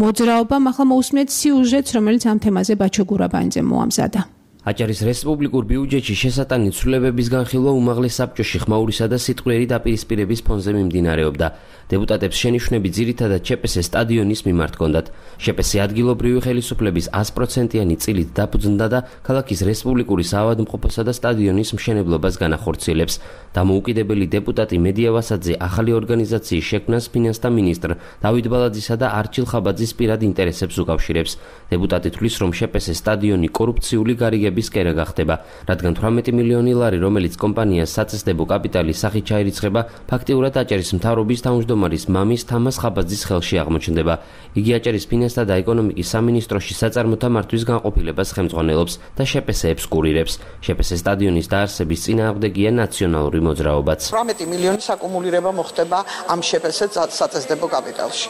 მოძრაობამ. ახლა მოусმენთ სიუჟეტს, რომელიც ამ თემაზე ბაჩო გურაბანიძემ მოამზადა. აჭარის რესპუბლიკურ ბიუჯეტში შესატანი ცვლილებების განხილვა უმაღლეს საბჭოში ხმაურისა და სიტყვიერი დაპირისპირების ფონზე მიმდინარეობდა. დეპუტატებს შენიშვნები ძირითადად შეპესეს სტადიონის მიმართ ჰქონდათ. შეპესე ადგილობრივი ხელისუფლების sto პროცენტიანი წილით დაფუძნდა და ქალაქის რესპუბლიკური საავადმყოფოსა და სტადიონის მშენებლობას განახორციელებს. დამოუკიდებელი დეპუტატი მედია ვასაძე ახალი ორგანიზაციის შექმნას ფინანსთა მინისტრ დავით ბალაძისა და არჩილ ხაბაძის პირად ინტერესებს უკავშირებს. დეპუტატი თვლის, რომ შეპესე სტადიონი კორუფციული გარიგების კერა გახდება, რადგან თვრამეტი მილიონი ლარი, რომელიც კომპანიას საწესდებო კაპიტალის სახით ჩაირიცხება, ფაქტიურად აჭარის მთავრობის თავმჯდომარის მამის თამას ხაბაძის ხელში აღმოჩნდება. იგი აჭარის ფინანსთა და ეკონომიკის სამინისტროში საწარმოთა მართვის განყოფილებას ხელმძღვანელობს და შეპესეებს კურირებს. შეპესე სტადიონის დაარსების წინააღმდეგია ნაციონალური მოძრაობაც. თვრამეტი მილიონი საკუმულირება მოხდება ამ შეპესე საწესდებო კაპიტალში.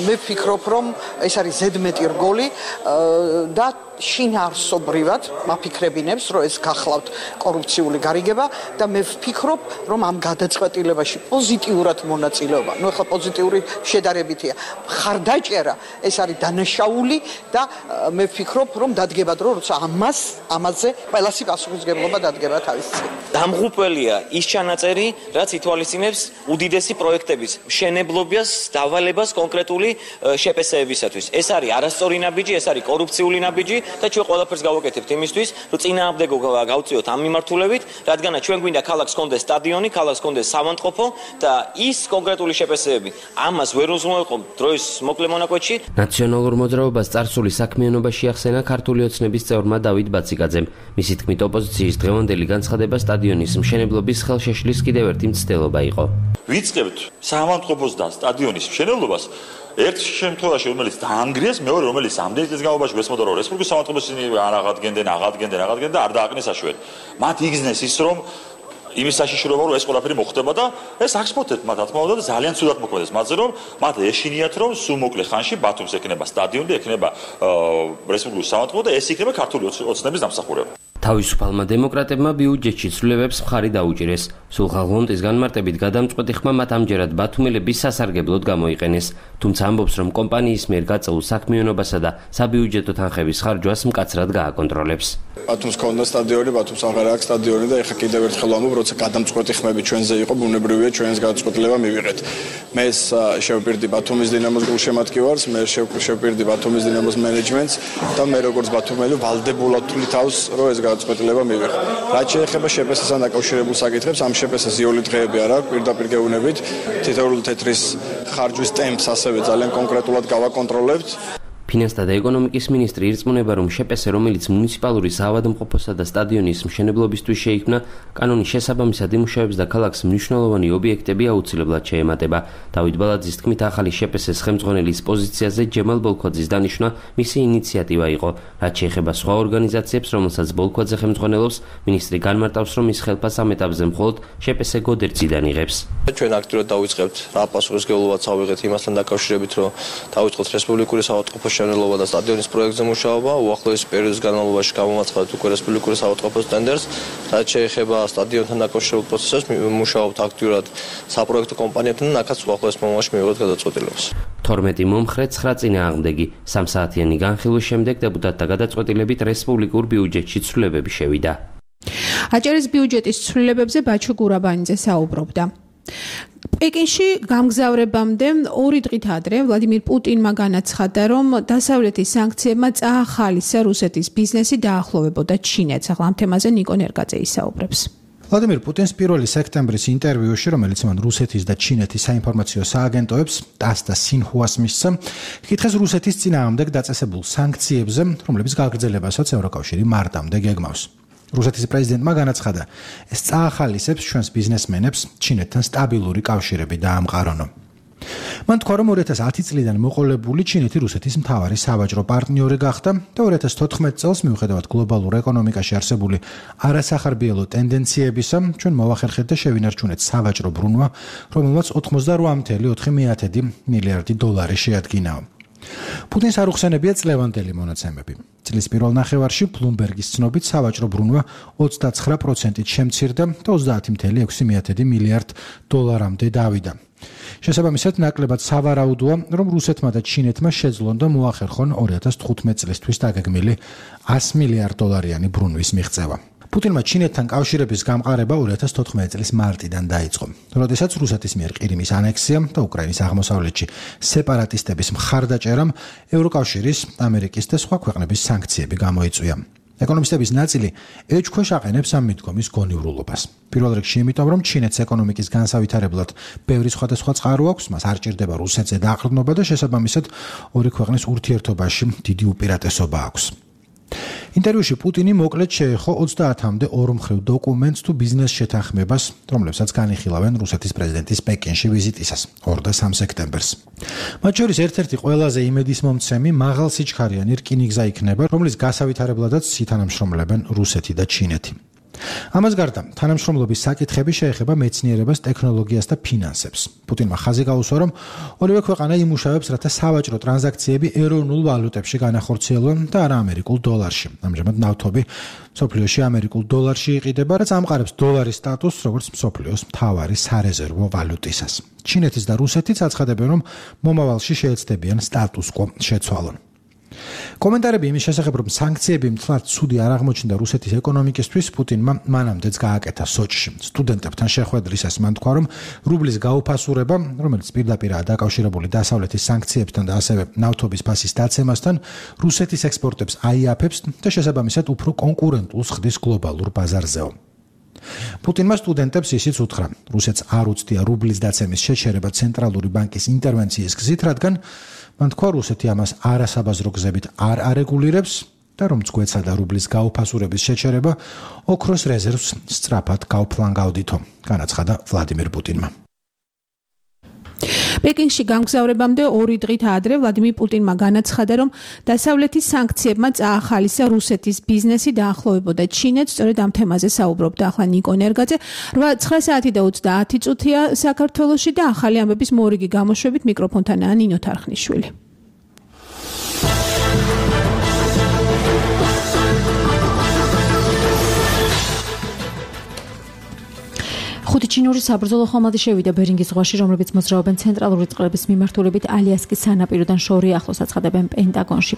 მე ვფიქრობ, რომ ეს არის ზედმეტი რგოლი და შინაარსობრივად მაფიქრებინებს, რომ ეს გახლავთ კორუფციული გარიგება და მე ვფიქრობ, რომ ამ გადაწყვეტილებაში პოზიტიურად მონაწილეობა, ну ახლა პოზიტიური შედარებითია, ხარდაჭერა ეს არის დანაშაული და მე ვფიქრობ, რომ დადგება დრო, როცა ამას, ამაზე ყველასი პასუხისმგებლობა დადგება თავის წინ. დამღუპველია ის ჩანაწერი, რაც ითვალისწინებს უდიდესი პროექტების მშენებლობას, დავალებას კონკრეტული შეპესეებისათვის. ეს არის არასწორი ნაბიჯი, ეს არის კორუფციული ნაბიჯი და ჩვენ ყველაფერს გავაკეთებთ იმისთვის, რომ წინააღმდეგო გავწიოთ ამ მიმართულებით, რადგანაც ჩვენ გვინდა ქალაქს კონდეს სტადიონი, ქალაქს კონდეს საავადმყოფო და ის კონკრეტული შეპესეები ამას ვერ უზრუნველყოფ დროის მოკლე მონაკვეთში. ნაციონალურ მოძრაობას წარსული საქმიანობაში ახსენა ქართული ოცნების წევრმა დავით ბაციკაძემ. მისი თქმით, ოპოზიციის დღევანდელი განცხადება სტადიონის მშენებლობის ხელშეშლის კიდევ ერთი მცდელობა იყო. ვიწყებთ საავადმყოფოს და სტადიონის მშენებლობას ერთ შემთხვევაში, რომელიც დაანგრიეს, მეორე, რომელიც ამდენი წლის განმავლობაში გესმოდა, რომ რესპუბლიკის საავადმყოფოს არ აღადგენდნენ, აღადგენდნენ, აღადგენდნენ და არ დააკნეს საშველი. მათ იგზნეს ის, რომ იმის საშიშროება, რომ ეს ყველაფერი მოხდება და ეს აქსპორტეთ მათ, რა თქმა უნდა, და ძალიან ცუდად მოქმედებს მათზე, რომ მათ ეშინიათ, რომ სულ მოკლე ხანში ბათუმს ექნება სტადიონი, ექნება რესპუბლიკის საავადმყოფო და ეს იქნება ქართული ოცნების დამსახურება. თავისუფალმა დემოკრატებმა ბიუჯეტში ცვლილებებს მხარი დაუჭირეს. სულხან-ლონტის განმარტებით გადამწყვეტი ხმა მათ ამჯერად ბათუმელების სასარგებლოდ გამოიყენეს. თუმცა ამბობს, რომ კომპანიის მიერ გაწეულ საქმიანობასა და საბიუჯეტო თანხების ხარჯვას მკაცრად გააკონტროლებს. ბათუმს ქონდა სტადიონი, ბათუმს აღარ აქვს სტადიონი და ეხლა კიდევ ერთხელ ვამბობ, როცა გადამწყვეტი ხმები ჩვენზე იყო, ბუნებრივია ჩვენს გადაწყვეტილება მივიღეთ. მე შევპირდი ბათუმის დინამოს გულშემატკივარს, მე შევპირდი ბათუმის დინამოს მენეჯმენტს და მე როგორც ბათუმელი ვალდებულად თვლი თავს, რომ ეს გადაწყვეტილება მივიღე. რაც შეეხება შეპესესთან დაკავშირებულ საკითხებს, ამ შეპესეს იოლი დღეები არ აქვს, პირდაპირ გეუბნებით, თითოეული თეთრის ხარჯვის ტემპს ასევე ძალიან კონკრეტულად გავაკონტროლებთ. ფინანსთა და ეკონომიკის მინისტრი ირწმუნება, რომ შეპესე, რომელიც მუნიციპალური საავადმყოფოსა და სტადიონის მშენებლობისთვის შეიქმნა, კანონის შესაბამისად იმუშავებს და ქალაქს მნიშვნელოვანი ობიექტები აუცილებლად შეემატება. დავით ბალაძის თქმით, ახალი შეპესეს ხელმძღვანელის პოზიციაზე ჯემალ ბოლქვაძის დანიშვნა მისი ინიციატივა იყო. რაც შეეხება სხვა ორგანიზაციებს, რომელსაც ბოლქვაძე ხელმძღვანელობს, მინისტრი განმარტავს, რომ ის ხელფას ამ ეტაპზე მხოლოდ შეპესე გოდერძიდან იღებს. ჩვენ აქტიურად დავიწყებთ რა პასუხისმგებლობაც ავიღეთ იმასთან დაკავშირებით, რომ დავიწყოთ რესპუბლიკური საავადმყოფოს მშენებლობა და სტადიონის პროექტზე მუშაობა, უახლოესი პერიოდის განმავლობაში გამოვაცხადეთ უკვე რესპუბლიკური საავადმყოფოს ტენდერს, რაც შეეხება სტადიონთან დაკავშირებულ პროცესებს, მუშაობთ აქტიურად საპროექტო კომპანიებთან და აქაც უახლოეს მომავალში მივიღოთ გადაწყვეტილებას. თორმეტი მომხრე, ცხრა წინააღმდეგი. სამ საათიანი განხილვის შემდეგ დეპუტატთა გადაწყვეტილებით რესპუბლიკურ ბიუჯეტში ცვლილებები შევიდა. აჭარის ბიუჯეტის ცვლილებებზე ბაჩო გურაბანიძე საუბრობდა. პეკინში გამგზავრებამდე ორი დღით ადრე ვლადიმირ პუტინმა განაცხადა, რომ დასავლეთის სანქციებმა წაახალისა რუსეთის ბიზნესი დაახლოვებოდა ჩინეთს. ახლა ამ თემაზე ნიკო ნერგაძე ისაუბრებს. ვლადიმირ პუტინს პირველი სექტემბრის ინტერვიუში, რომელიც მან რუსეთის და ჩინეთის საინფორმაციო სააგენტოებს ტას და სინჰუას მისცა, კითხეს რუსეთის წინააღმდეგ დაწესებულ სანქციებზე, რომლებიც გაგრძელებასაც ევროკავშირი მარტამდე გეგმავს. რუსეთის პრეზიდენტმა განაცხადა, ეს წაახალისებს ჩვენს ბიზნესმენებს ჩინეთთან სტაბილური კავშირები დაამყარონო. მან თქვა, რომ ორი ათას ათი წლიდან მოყოლებული ჩინეთი რუსეთის მთავარი სავაჭრო პარტნიორი გახდა და ორი ათას თოთხმეტ წელს მიუხედავად გლობალურ ეკონომიკაში არსებული არასახარბიელო ტენდენციებისა, ჩვენ მოვახერხეთ და შევინარჩუნეთ სავაჭრო ბრუნვა, რომელმაც ოთხმოცდაოთხ წამსვე ოთხი მილიარდი დოლარი შეადგინაო. პუტინს არ უხსენებია წლევანდელი მონაცემები. წლის პირველ ნახევარში ბლუმბერგის ცნობით სავაჭრო ბრუნვა ოცდაცხრა პროცენტით შემცირდა და ოცდაათი წამსვე ექვსი მილიარდ დოლარამდე დავიდა. შესაბამისად, ნაკლებად სავარაუდოა, რომ რუსეთმა და ჩინეთმა შეძლონ და მოახერხონ ორი ათას თხუთმეტ წლისთვის დაგეგმილი ასი მილიარდ დოლარიანი ბრუნვის მიღწევა. პუტინმა ჩინეთთან კავშირების გამყარება ორი ათას თოთხმეტი წლის მარტიდან დაიწყო, როდესაც რუსეთის მიერ ყირიმის ანექსიამ და უკრაინის აღმოსავლეთში სეპარატისტების მხარდაჭერამ ევროკავშირის, ამერიკის და სხვა ქვეყნების სანქციები გამოიწვია. ეკონომისტების ნაწილი ეჭქვეშ აყენებს ამ მიდგომის გონივრულობას. პირველ რიგში იმიტომ, რომ ჩინეთს ეკონომიკის განსავითარებლად ბევრი სხვადასხვა წყარო აქვს, მას არ ჭირდება რუსეთზე დაყრდნობა და შესაბამისად ორი ქვეყნის ურთიერთობაში დიდი უპირატესობა აქვს. ინტერვიუში პუტინი მოკლედ შეეხო ოცდაათამდე ორმხრივ დოკუმენტს თუ ბიზნეს შეთანხმებას, რომლებსაც განიხილავენ რუსეთის პრეზიდენტის პეკინში ვიზიტისას ორ და სამ სექტემბერს. მათ შორის ერთ-ერთი ყველაზე იმედისმომცემი მაღალ სიჩქარიანი რკინიგზა იქნება, რომლის გასავითარებლადაც ითანამშრომლებენ რუსეთი და ჩინეთი. ამას გარდა, თანამშრომლობის საკითხები შეეხება მეცნიერებას, ტექნოლოგიას და ფინანსებს. პუტინმა ხაზი გაუსვა, რომ ორივე ქვეყანა იმუშავებს, რათა სავაჭრო ტრანზაქციები ეროვნულ ვალუტებში განახორციელონ და არა ამერიკულ დოლარში. ამჟამად ნავთობი მსოფლიოში ამერიკულ დოლარში იყიდება, რაც ამყარებს დოლარის სტატუსს, როგორც მსოფლიოს მთავარი სარეზერვო ვალუტისას. ჩინეთის და რუსეთიც აცხადებენ, რომ მომავალში შეეცდებიან სტატუს-კვო შეცვალონ. კომენტარები იმის შესახებ, რომ სანქციები მთლად ცუდი არ აღმოჩნდა რუსეთის ეკონომიკისთვის, პუტინმა მანამდეც გააკეთა სოჩში. სტუდენტებთან შეხვედრისას მან თქვა, რომ რუბლის გაუფასურება, რომელიც პირდაპირაა დაკავშირებული დასავლეთის სანქციებთან და ასევე ნავთობის ფასის დაცემასთან, რუსეთის ექსპორტებს აიაფებს და შესაბამისად უფრო კონკურენტულს ხდის გლობალურ ბაზარზეო. პუტინმა სტუდენტებს ისიც უთხრა, რუსეთს არ უცდია რუბლის დაცემის შეჩერება ცენტრალური ბანკის ინტერვენციის გზით, რადგან მან თქვა, რუსეთი ამას არასაბაზრო გზებით არ არეგულირებს და რომ წგვეცა და რუბლის გაუფასურების შეჩერება ოქროს რეზერვს სწრაფად გავფლანგავდითო, განაცხადა ვლადიმირ პუტინმა. პეკინში გამგზავრებამდე ორი დღით ადრე ვლადიმირ პუტინმა განაცხადა, რომ დასავლეთის სანქციებმა წაახალისა რუსეთის ბიზნესი დაახლოვებოდა ჩინეთს, სწორედ ამ თემაზე საუბრობდა ახლა ნიკო ნერგაძე. ცხრა საათი და ოცდაათი წუთია საქართველოში და ახალი ამბების მორიგი გამოშვებით მიკროფონთანაა ნინო თარხნიშვილი. ხუთი ჩინური საბრძოლო ხომალდი შევიდა ბერინგის ზღვაში, რომლებიც მოძრაობენ ცენტრალური წყლების მიმართულებით ალიასკის სანაპიროდან შორე ახლოს აცხადებენ პენტაგონში.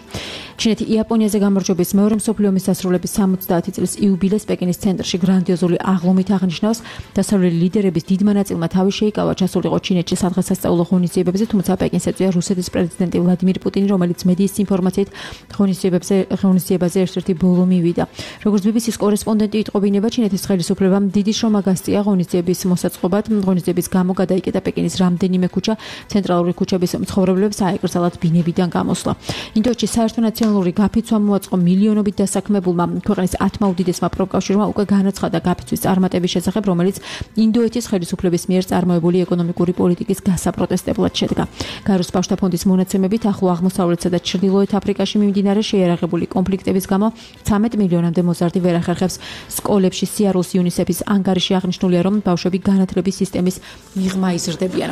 ჩინეთი იაპონიაზე გამარჯვების მეორე მსოფლიო ომის დასრულების სამოცდაათი წლის იუბილეს პეკინის ცენტრში გრანდიოზული აღლუმით აღნიშნავს. დასავლელი ლიდერების დიდმა ნაწილმა თავი შეიკავა ჩასულიყო ჩინეთში სადღესასწაულო ღონისძიებებზე, თუმცა პეკინს ეწვია რუსეთის პრეზიდენტი ვლადიმირ პუტინი, რომელიც მედიის ინფორმაციით ღონისძიებებზე ღონისძიებაზე ერთ-ერთი ბოლო მივიდა. როგორც ბი ბი სის კორესპონდენტი იტყობინება, ჩინეთის ხელისუფლებამ დიდი შრომა გასწია ღონისძიებაზე მოსაწყობად. ღონისძიების გამო გადაიკეტა პეკინის რამდენიმე ქუჩა, ცენტრალური ქუჩების მცხოვრებლებს აეკრძალათ ბინებიდან გამოსვლა. ინდოეთში საერთო ნაციონალური გაფიცვა მოაწყო მილიონობით დასაქმებულმა. ქვეყნის ათმა უდიდესმა პროფკავშირმა უკვე განაცხადა გაფიცვის წარმატების შესახებ, რომელიც ინდოეთის ხელისუფლების მიერ წარმოებული ეკონომიკური პოლიტიკის გასაპროტესტებლად შედგა. გაროს ბავშვთა ფონდის მონაცემებით, ახლო აღმოსავლეთსა და ჩრდილოეთ აფრიკაში მიმდინარე შეიარაღებული კონფლიქტების გამო ცამეტ მილიონამდე მოზარდი ვერ ახერხებს სკოლებში სიარულს. იუნისეფის ანგარიში აღნიშნულია, რომ ბავშვები განათლების სისტემის მიღმა იზრდებიან.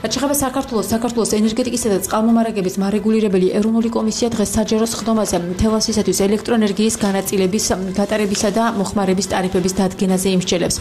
რაც შეეხება საქართველოს, საქართველოს ენერგეტიკისა და წყალმომარაგების მარეგულირებელი ეროვნული კომისია დღეს საჯარო სხდომაზე თელასისათვის ელექტროენერგიის განაწილების გატარებისა და მოხმარების ტარიფების დადგენაზე იმსჯელებს.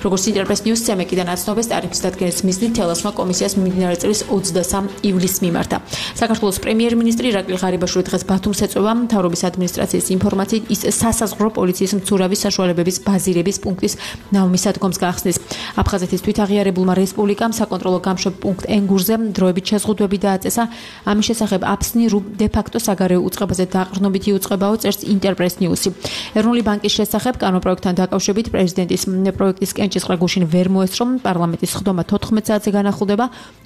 როგორც ინტერპრეს ნიუს ცემეკიდან აცნობს, ტარიფის დადგენის მიზნით თელასმა კომისიას მიმდინარე წლის ოცდასამ ივლისს მიმართა. საქართველოს პრემიერ-მინისტრი ირაკლი ღარიბაშვილი დღეს ბათუმს ეწვევა. მთავრობის ადმინისტრაციის ინფორმაციით, ის სასაზღვრო პოლიციის მცურავი საშუალებების ბაზირების პუნქტის ნავმისადგომს გახსნის. აფხაზეთის თვითაღიარებულმა რესპუბლიკამ საკონტროლო გამშვებ პუნქტ ენგურზე დროებით შეზღუდვები დააწესა. ამის შესახებ აფსნი დე-ფაქტო საგარეო უწყებაზე დაყრდნობითი უწყებაო, წერს ინტერპრეს ნიუსი. ეროვნული ბანკის შესახებ კანონპროექტთან დაკავშირებით პრეზიდენტის პროექტის კენჭისყრა გუშინ ვერ მოესწრო. პარლამენტის სხდომა თოთხმეტ საათზე განახლდება.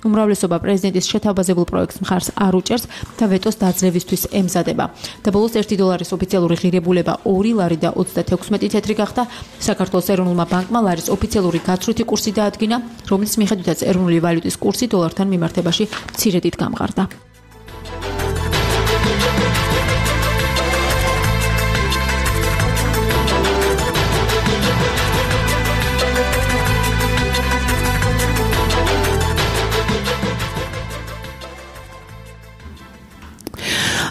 უმრავლესობა პრეზიდენტის შეთავაზებულ პროექტს მხარს არ უჭერს და ვეტოს დაძლევისთვის ემზადება. და ბოლოს ერთი დოლარის ოფიციალური ღირებულება ორი ლარი და ოცდათექვსმეტი თეთრი გახდა. საქართველოს ეროვნულმა ბანკმა ლარის ოფიციალური გაცვლითი კურსი დაადგინა, რომლის მიხედვითაც ეროვნული ვალუტის კურსი დოლართან მიმართებაში მცირედით გამყარდა.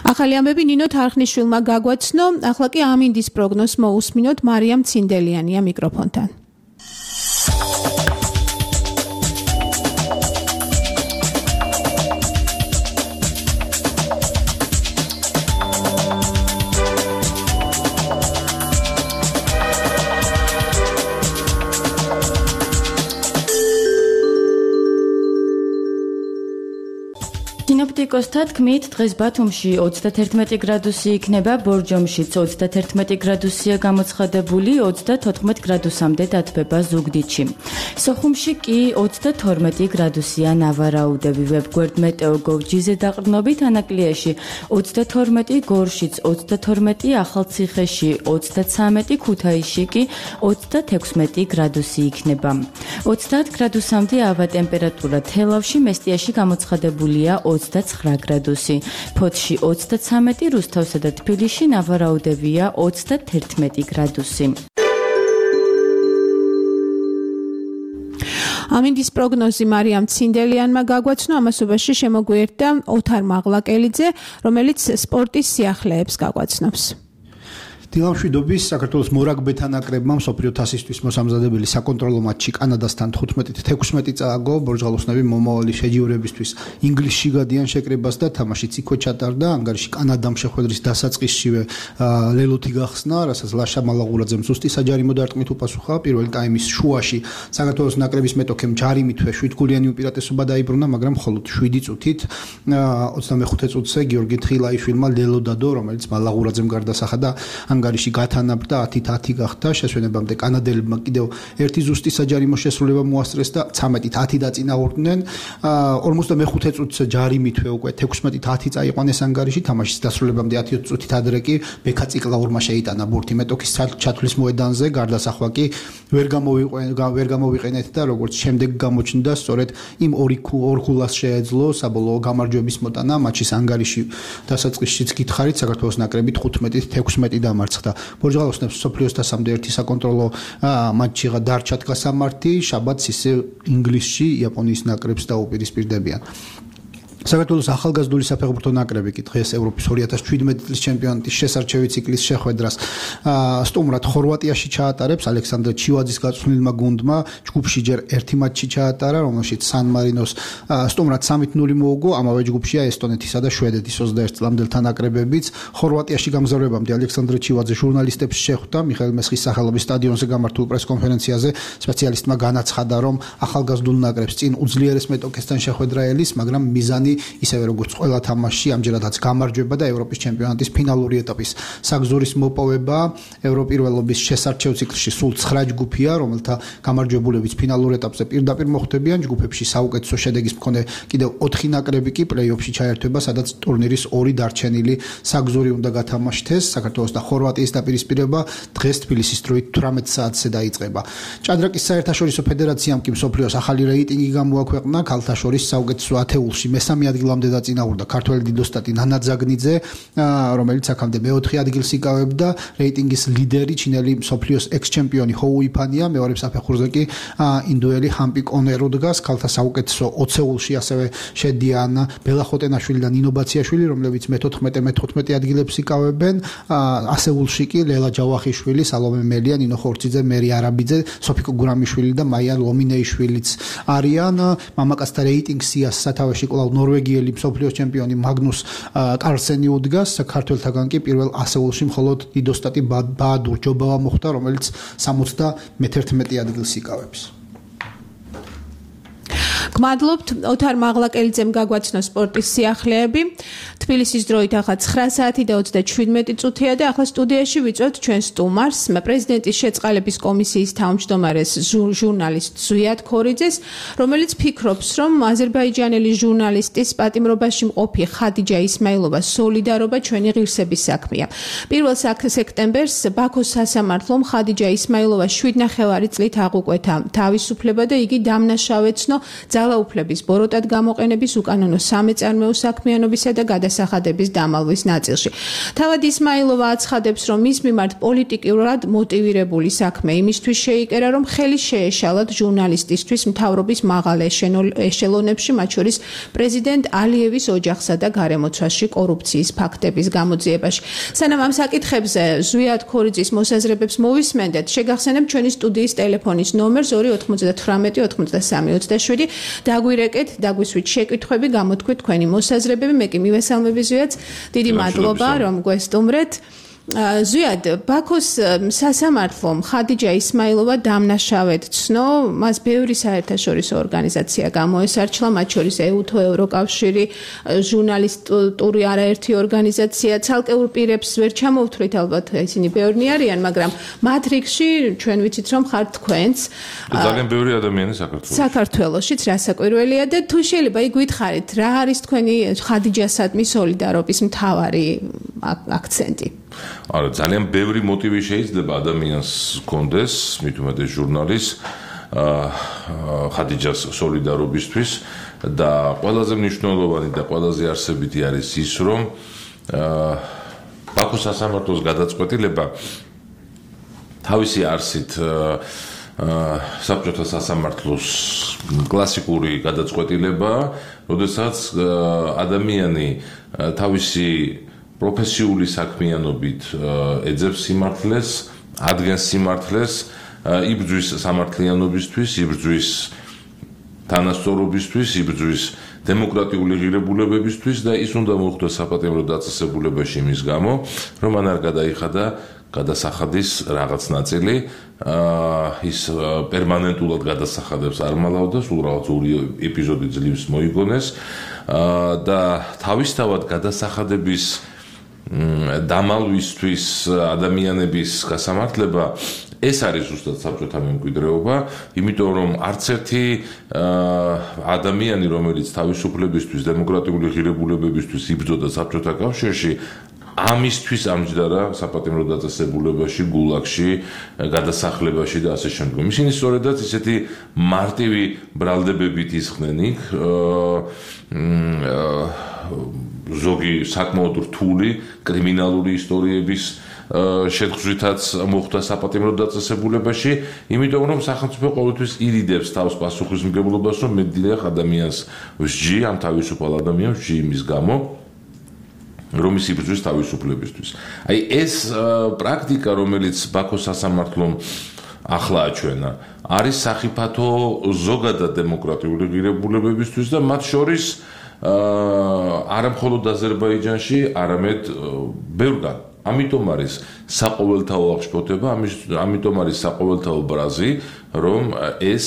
ახალი ამბები ნინო თარხნიშვილმა გაგვაცნო, ახლა კი ამინდის პროგნოზს მოусმინოთ მარიამ ცინდელიანია მიკროფონთან. სინოპტიკოსთა თქმით, დღეს ბათუმში ოცდათერთმეტი გრადუსი იქნება, ბორჯომშიც ოცდათერთმეტი გრადუსია გამოცხადებული, ოცდათოთხმეტ გრადუსამდე დათბება ზუგდიდში. სოხუმში კი ოცდათორმეტი გრადუსია ნავარაუდები. ვებგვერდ მეტეოგოვ.ჯიზე დაყრდნობით ანაკლიაში ოცდათორმეტი, გორშიც ოცდათორმეტი, ახალციხეში ოცდაცამეტი, ქუთაისში კი ოცდათექვსმეტი გრადუსი იქნება. ოცდაათ გრადუსამდე ავა ტემპერატურა თელავში, მესტიაში გამოცხადებულია ოცდაცხრა გრადუსი. ფოთში ოცდაცამეტი, რუსთავსა და თბილისში ნავარაუდებია ოცდათერთმეტი გრადუსი. ამინდის პროგნოზი მარიამ ცინდელიანმა გაგვაცნო, ამასობაში შემოგვიერთდა ოთარ მაღლაკელიძე, რომელიც სპორტის სიახლეებს გაგვაცნობს. დილამშვიდობის საქართველოს მორაგბეთა ნაკრებმა მსოფლიო თასისთვის მოსამზადებელი საკონტროლო მატჩი კანადასთან თხუთმეტით თექვსმეტი წააგო. ბორჯღალოსნები მომავალი შეჯიბრებისთვის ინგლისში გადიან შეკრებას და თამაშიც იქვე ჩატარდა. ანგარიში კანადამ შეხვედრის დასაწყისშივე ლელოთი გახსნა, რასაც ლაშა მალაღურაძემ ზუსტი საჯარიმო დარტყმით უპასუხა. პირველი ტაიმის შუაში საქართველოს ნაკრების მეტოქემ ჯარიმითვე შვიდგოლიანი უპირატესობა დაიბრუნა, მაგრამ მხოლოდ შვიდი წუთით ოცდამეხუთე წუთზე გიორგი თხილაიშვილმა ლელო დადო, რომელიც მალაღურაძემ გარდასახა და ანგარიში გათანაბრდა ათით ათი გახდა. შესვენებამდე კანადელებმა კიდევ ერთი ზუსტი საჯარიმო შესრულება მოასწრეს და ცამეტით ათი დაწინაურდნენ. ორმოცდამეხუთე წუთზე ჯარიმითვე უკვე თექვსმეტით ათი წაიყვანეს ანგარიში. თამაშის დასრულებამდე ათი წუთით ადრე კი ბექა ციკლაურმა შეიტანა ბურთი მეტოქის ჩათვლის მოედანზე. გარდასახვა კი ვერ ვერ გამოვიყენეთ და როგორც შემდეგ გამოჩნდა, სწორედ იმ ორი ორქულას შეეძლო საბოლოო გამარჯვების მოტანა. მატჩის ანგარიში დასაწყისშიც გითხარით, საქართველოს ნაკრები თხუთმეტით თექვსმეტი დამარცხდა. ბორჯღალოსნებს მსოფლიოს თასამდე ერთი საკონტროლო მატჩი დარჩათ გასამართი. შაბათს ისე ინგლისში იაპონიის ნაკრებს დაუპირისპირდებიან. საქართველოს ახალგაზრდული საფეხბურთო ნაკრები კი დღეს ევროპის ორი ათას შვიდმეტი წლის ჩემპიონატის შესარჩევი ციკლის შეხვედრას სტუმრად ხორვატიაში ჩაატარებს. ალექსანდრე ჩივაძის გაწვრთნილმა გუნდმა ჯგუფში ჯერ ერთი მატჩი ჩაატარა, რომელშიც სან მარინოს სტუმრად სამით ნული მოუგო. ამავე ჯგუფშია ესტონეთისა და შვედეთის ოცდაერთი წლამდელთა ნაკრებებიც. ხორვატიაში გამგზავრებამდე ალექსანდრე ჩივაძე ჟურნალისტებს შეხვდა. მიხაილ მესხის სახელობის სტადიონზე გამართულ პრესკონფერენციაზე სპეციალისტმა განაცხადა, რომ ახალგაზრდულ ნაკრებს წინ უძლიერეს მეტოქესთან შეხვედრა ელის, მაგრამ მიზანი ისევე როგორც ყველა თამაშში ამჯერადაც გამარჯვება და ევროპის ჩემპიონატის ფინალური ეტაპის საგზურის მოპოვება. ევროპირველობის შესარჩევ ციკლში სულ ცხრა ჯგუფია, რომელთა გამარჯვებულებიც ფინალურ ეტაპზე პირდაპირ მოხვდებიან. ჯგუფებში საუკეთესო შედეგის მქონე კიდევ ოთხი ნაკრები კი პლეი-ოფში ჩაერთვება, სადაც ტურნირის ორი დარჩენილი საგზური უნდა გათამაშდეს. საქართველოს და ხორვატიის დაპირისპირება დღეს თბილისის დროით თვრამეტ საათზე დაიწყება. ჭადრაკის საერთაშორისო ფედერაციამ კი მსოფლიოს ახალი რეიტინგი გამოაქვეყნა. ქალთა შორის საუკეთესო ათეულში მესამე ადგილამდე დაწინაურდა ქართველი დიდოსტატი ნანა ძაგნიძე, რომელიც აქამდე მეოთხე ადგილს იკავებდა. რეიტინგის ლიდერი ჩინელი მსოფლიოს ექს-ჩემპიონი ჰოუ იფანია, მეორე საფეხურზე კი ინდოელი ჰამპი კონერო დგას. ქალთა საუკეთესო ოცეულში ასევე შედიან ბელა ხოტენაშვილი და ნინო ბაციაშვილი, რომლებიც მეთოთხმეტე მეთოთხმეტე ადგილებს იკავებენ. ასეულში კი ლელა ჯავახიშვილი, სალომე მელია, ნინო ხორციძე, მერი არაბიძე, სოფიკო გურამიშვილი და მაია ლომინეიშვილიც არიან. მამაკაცთა რეიტინგს სიას სათავეში კვლავ ნორვეგიელი მსოფლიოს ჩემპიონი მაგნუს კარლსენი უდგას. ქართველთაგან კი პირველ ასეულში მხოლოდ დიდოსტატი ბაადურ ჯობავა მოხვდა, რომელიც სამოცდამეთერთმეტე ადგილს იკავებს. გმადლობთ ოთარ მაღლაკელიძემ გაგვაცნო სპორტის სიახლეები. თბილისის დროით ახლა ცხრა საათი და ოცდაშვიდმეტი წუთია და ახლა სტუდიაში ვიწვევთ ჩვენ სტუმარს, პრეზიდენტის შეწყალების კომისიის თავმჯდომარეს ჟურნალისტ ზვიად ქორიძეს, რომელიც ფიქრობს, რომ აზერბაიჯანელი ჟურნალისტის პატიმრობაში მყოფი ხადიჯა ისმაილოვას სოლიდარობა ჩვენი ღირსების საქმეა. პირველ სექტემბერს ბაქოს სასამართლომ ხადიჯა ისმაილოვას შვიდნახევარი წლით აღუკვეთა თავისუფლება და იგი დამნაშავეცნო ძალაუფლების ბოროტად გამოყენების უკანონო სამეწარმეო საქმიანობისა და გადასახადების დამალვის ნაწილში. თავად ისმაილოვა აცხადებს, რომ მის მიმართ პოლიტიკურად მოტივირებული საქმე იმისთვის შეიკერა, რომ ხელი შეეშალათ ჟურნალისტისთვის მთავრობის მაღალ ეშელონებში, მათ შორის პრეზიდენტ ალიევის ოჯახსა და გარემოცვაში კორუფციის ფაქტების გამოძიებაში. სანამ ამ საკითხებზე ზვიად ქორიძის მოსაზრებებს მოვისმენდეთ, შეგახსენებთ ჩვენი სტუდიის ტელეფონის ნომერს ორი ოთხმოცდათვრამეტი ოცდასამი ოცდაშვიდი. დაგვირეკეთ, დაგვისვით შეკითხვები, გამოთქვით თქვენი მოსაზრებები. მე კი მივესალმები ზვიადს. დიდი მადლობა, რომ გვესტუმრეთ. ზვიად ბაქოს სასამართლომ ხადიჯა ისმაილოვა დამნაშავედ ცნო, მას ბევრი საერთაშორისო ორგანიზაცია გამოესარჩლა, მათ შორის ეუთო, ევროკავშირი, ჟურნალისტური არაერთი ორგანიზაცია, ცალკეულ პირებს ვერ ჩამოვთვლით, ალბათ ისინი ბევრნი არიან, მაგრამ მათ რიგში ჩვენ ვიცით რომ ხართ თქვენც. ძალიან ბევრი ადამიანი საქართველოში. საქართველოშიც რასაკვირველია და თუ შეიძლება იგვითხარით, რა არის თქვენი ხადიჯასადმი სოლიდარობის მთავარი აქცენტი? არა, ძალიან ბევრი მოტივი შეიძლება ადამიანს ჰქონდეს, მით უმეტეს ჟურნალის ხადიჯას სოლიდარობისთვის და ყველაზე მნიშვნელოვანი და ყველაზე არსებითი არის ის, რომ ბაქოს სასამართლოს გადაწყვეტილება თავისი არსით საბჭოთა სასამართლოს კლასიკური გადაწყვეტილებაა, როდესაც ადამიანი თავისი პროფესიული საქმიანობით ეძებს სიმართლეს, ადგენს სიმართლეს, იბრძვის სამართლიანობისთვის, იბრძვის თანასწორობისთვის, იბრძვის დემოკრატიული ღირებულებებისთვის და ის უნდა მოხდეს საპატიმრო დაწესებულებაში იმის გამო, რომ მან არ გადაიხადა გადასახადის რაღაც ნაწილი, ის პერმანენტულად გადასახადებს არ მალავდა, სულ რაღაც ორი ეპიზოდი ძლივს მოიგონეს და თავისთავად გადასახადების დამალვისთვის ადამიანების გასამართლება ეს არის ზუსტად საბჭოთა მემკვიდრეობა, იმიტომ რომ არც ერთი ადამიანი, რომელიც თავისუფლებისთვის, დემოკრატიული ღირებულებებისთვის იბრძოდა საბჭოთა კავშირში, ამისთვის ამჯდარა საპატიმრო დაწესებულებაში, გულაგში, გადასახლებაში და ასე შემდგომ. ისინი სწორედაც ისეთი მარტივი ბრალდებებით ისხდნენ იქ, ზოგი საკმაოდ რთული კრიმინალური ისტორიების შეთხზვითაც მოხდა საპატიმრო დაწესებულებაში, იმიტომ რომ სახელმწიფო ყოველთვის ირიდებს თავს პასუხისმგებლობას, რომ მეტდიახ ადამიანს ვსჯი, ამ თავისუფალ ადამიანს ვსჯი იმის გამო, რომ ის იბრძვის თავისუფლებისთვის. აი ეს პრაქტიკა, რომელიც ბაქოს სასამართლომ ახლა აჩვენა, არის სახიფათო ზოგადად დემოკრატიული ღირებულებებისთვის და მათ შორის არა მხოლოდ აზერბაიჯანში, არამედ ბევრგან. ამიტომ არის საყოველთაო აღშფოთება, ამიტომ არის საყოველთაო ბრაზი, რომ ეს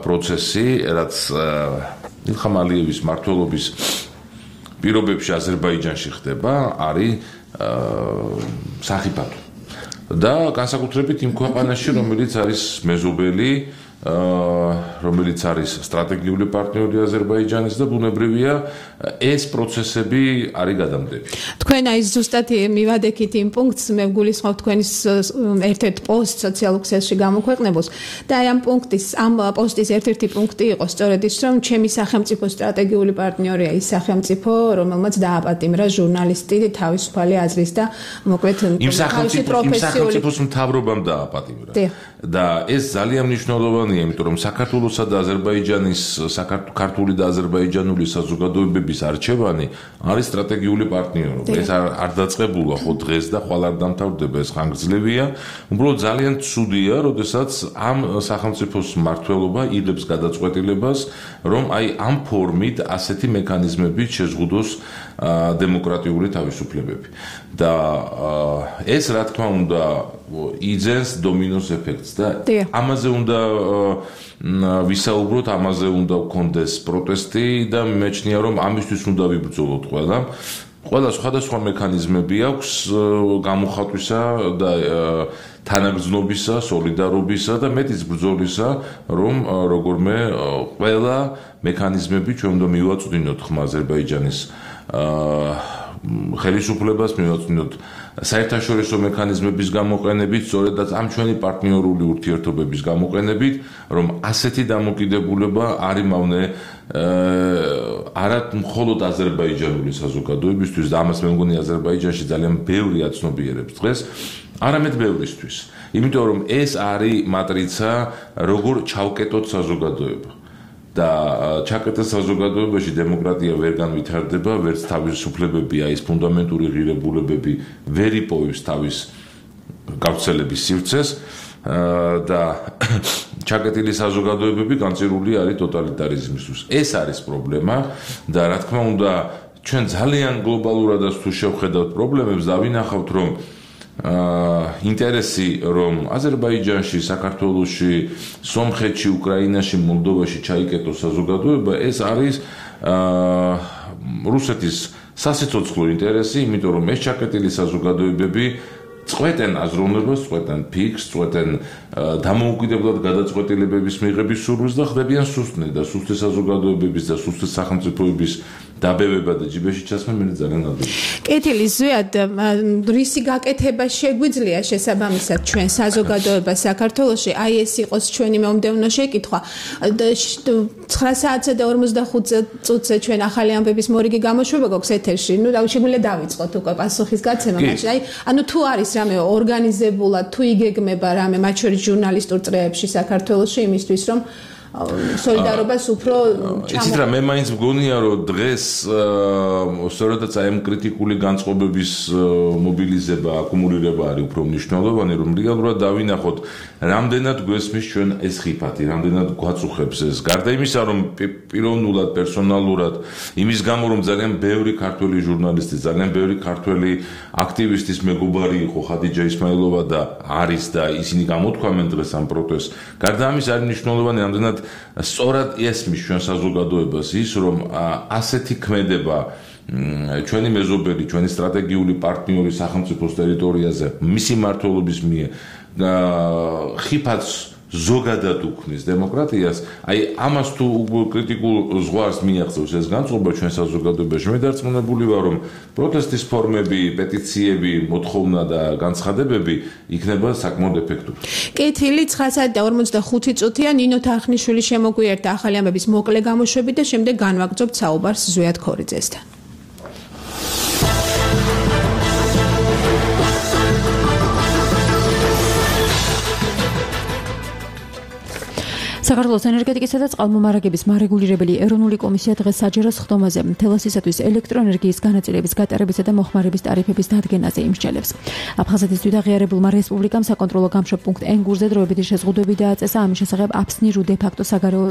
პროცესი, რაც ილხამ ალიევის მმართველობის პირობებში აზერბაიჯანში ხდება, არის სახიფათო. და განსაკუთრებით იმ ქვეყანაში, რომელიც არის მეზობელი, რომელიც არის სტრატეგიული პარტნიორი აზერბაიჯანის და ბუნებრივია ეს პროცესები არის გადამდები. თქვენ აი ზუსტად მივადექით იმ პუნქტს, მე ვგულისხმობ თქვენის ერთ-ერთ პოსტ სოციალურ ქსელში გამოქვეყნებულს და აი ამ პუნქტის, ამ პოსტის ერთ-ერთი პუნქტი იყო სწორედ ის, რომ ჩემი სახელმწიფო სტრატეგიული პარტნიორია ის სახელმწიფო, რომელმაც დააპატიმრა ჟურნალისტი თავისუფალი აზრის და მოკლედ იმ სახელმწიფოს მთავრობამ დააპატიმრა. და ეს ძალიან მნიშვნელოვანია, იმიტომ რომ საქართველოსა და აზერბაიჯანის, ქართული და აზერბაიჯანული საზოგადოებების არჩევანი არის სტრატეგიული პარტნიორობა. ეს არ დაწყებულა ხო დღეს და ხვალ არ დამთავრდება, ეს ხანგრძლივია. უბრალოდ ძალიან ცუდია, როდესაც ამ სახელმწიფოს მმართველობა იღებს გადაწყვეტილებას, რომ აი ამ ფორმით ასეთი მექანიზმებით შეზღუდოს დემოკრატიული თავისუფლებები. და ეს რა თქმა უნდა იძენს დომინოს ეფექტს და ამაზე უნდა ვისაუბროთ, ამაზე უნდა გქონდეს პროტესტი და მეჩნია რომ ამისთვის უნდა ვიბრძოლოთ ყველა. ყველა სხვადასხვა მექანიზმები აქვს გამოხატვისა და თანაგრძნობისა, სოლიდარობისა და მეტის ბრძოლისა, რომ როგორმე ყველა მექანიზმები ჩვენ უნდა მივაწვდინოთ ხმა აზერბაიჯანის ხელისუფლებას, მივაწვდინოთ საერთაშორისო მექანიზმების გამოყენებით, სწორედაც ამ ჩვენი პარტნიორული ურთიერთობების გამოყენებით, რომ ასეთი დამოკიდებულება არ იმავნე არა მხოლოდ აზერბაიჯანული საზოგადოებისთვის და ამას მე მგონი აზერბაიჯანში ძალიან ბევრი აცნობიერებს დღეს, არამედ ბევრისთვის. იმიტომ რომ ეს არის მატრიცა, როგორ ჩავკეტოთ საზოგადოება. და ჩაკეტეს საზოგადოებაში დემოკრატია ვერ განვითარდება, ვერც თავისუფლებები, აი ეს ფუნდამენტური ღირებულებები ვერ იპოვებს თავის გავრცელების სივრცეს და ჩაკეტილი საზოგადოებები განწირული არის ტოტალიტარიზმისთვის. ეს არის პრობლემა და რა თქმა უნდა ჩვენ ძალიან გლობალურადაც თუ შევხედავთ პრობლემებს და ვინახავთ რომ აა ინტერესი რომ აზერბაიჯანში, საქართველოში, სომხეთში, უკრაინაში, მოლდოვაში ჩაიკეტოს საზოგადოება, ეს არის აა რუსეთის სასიცოცხლო ინტერესი, იმიტომ რომ ეს ჩაკეტილი საზოგადოებები წყვეტენ აზროვნებას, წყვეტენ ფიქს, წყვეტენ დამოუკიდებლად გადაწყვეტილებების მიღების სურვილს და ხდებიან სუსტნი და სუსტი საზოგადოებების და სუსტი სახელმწიფოების დაბევება და ჯიბეში ჩასმა მე ძალიან ადვილი. კეთილი ზვიად რისი გაკეთება შეგვიძლია შესაბამისად ჩვენ საზოგადოება საქართველოში, აი ეს იყოს ჩვენი მომდევნო შეკითხვა. ცხრა საათსა და ორმოცდახუთ წუთზე ჩვენ ახალი ამბების მორიგი გამოშვება გვაქვს ეთერში. ნუ შეგვიძლია დავიწყოთ უკვე პასუხის გაცემა, მაშინ აი ანუ თუ არის რამე ორგანიზებულად, თუ იგეგმება რამე მათ შორის ჟურნალისტურ წრეებში საქართველოში იმისთვის რომ სოლიდარობას უფრო იცით რა მე მაინც მგონია რომ დღეს სწორედაც აი ამ კრიტიკული განწყობების მობილიზება, აკუმულირება არის უფრო მნიშვნელოვანი, რომ რეალურად დავინახოთ რამდენად გვესმის ჩვენ ეს ხიფათი, რამდენად გვაწუხებს ეს. გარდა იმისა, რომ პიროვნულად, პერსონალურად, იმის გამო რომ ძალიან ბევრი ქართველი ჟურნალისტი, ძალიან ბევრი ქართველი აქტივისტის მეგობარი იყო ხადიჯა ისმაილოვა და არის და ისინი გამოთქვამენ დღეს ამ პროტესტს. გარდა ამისა არის მნიშვნელოვანი რამდენად სწორად ესმის ჩვენ საზოგადოებას ის რომ ასეთი ქმედება ჩვენი მეზობელი, ჩვენი სტრატეგიული პარტნიორი სახელმწიფოს ტერიტორიაზე მისი მმართველობის მიერ ხიფათს ზოგადად უქმნის დემოკრატიას, აი ამას თუ კრიტიკულ ზღვარს მიაღწევს ეს განწყობა ჩვენ საზოგადოებაში, მე დარწმუნებული ვარ რომ პროტესტის ფორმები, პეტიციები, მოთხოვნა და განცხადებები იქნება საკმაოდ ეფექტური. კეთილი ცხრა საათი და ორმოცდახუთი წუთია ნინო თარხნიშვილი შემოგვიერთდა ახალი ამბების მოკლე გამოშვებით და შემდეგ განვაგრძობთ საუბარს ზვიად ქორიძესთან. საქართველოს ენერგეტიკისა და წყალმომარაგების მარეგულირებელი ეროვნული კომისია დღეს საჯარო სხდომაზე თელასისათვის ელექტროენერგიის განაწილების გატარებისა და მოხმარების ტარიფების დადგენაზე იმსჯელებს. აფხაზეთის აღიარებულმა რესპუბლიკამ საკონტროლო გამშვებ პუნქტ ენგურზე დროებითი შეზღუდვები დააწესა, ამის შესახებ აფსნირუ დე-ფაქტო საგარეო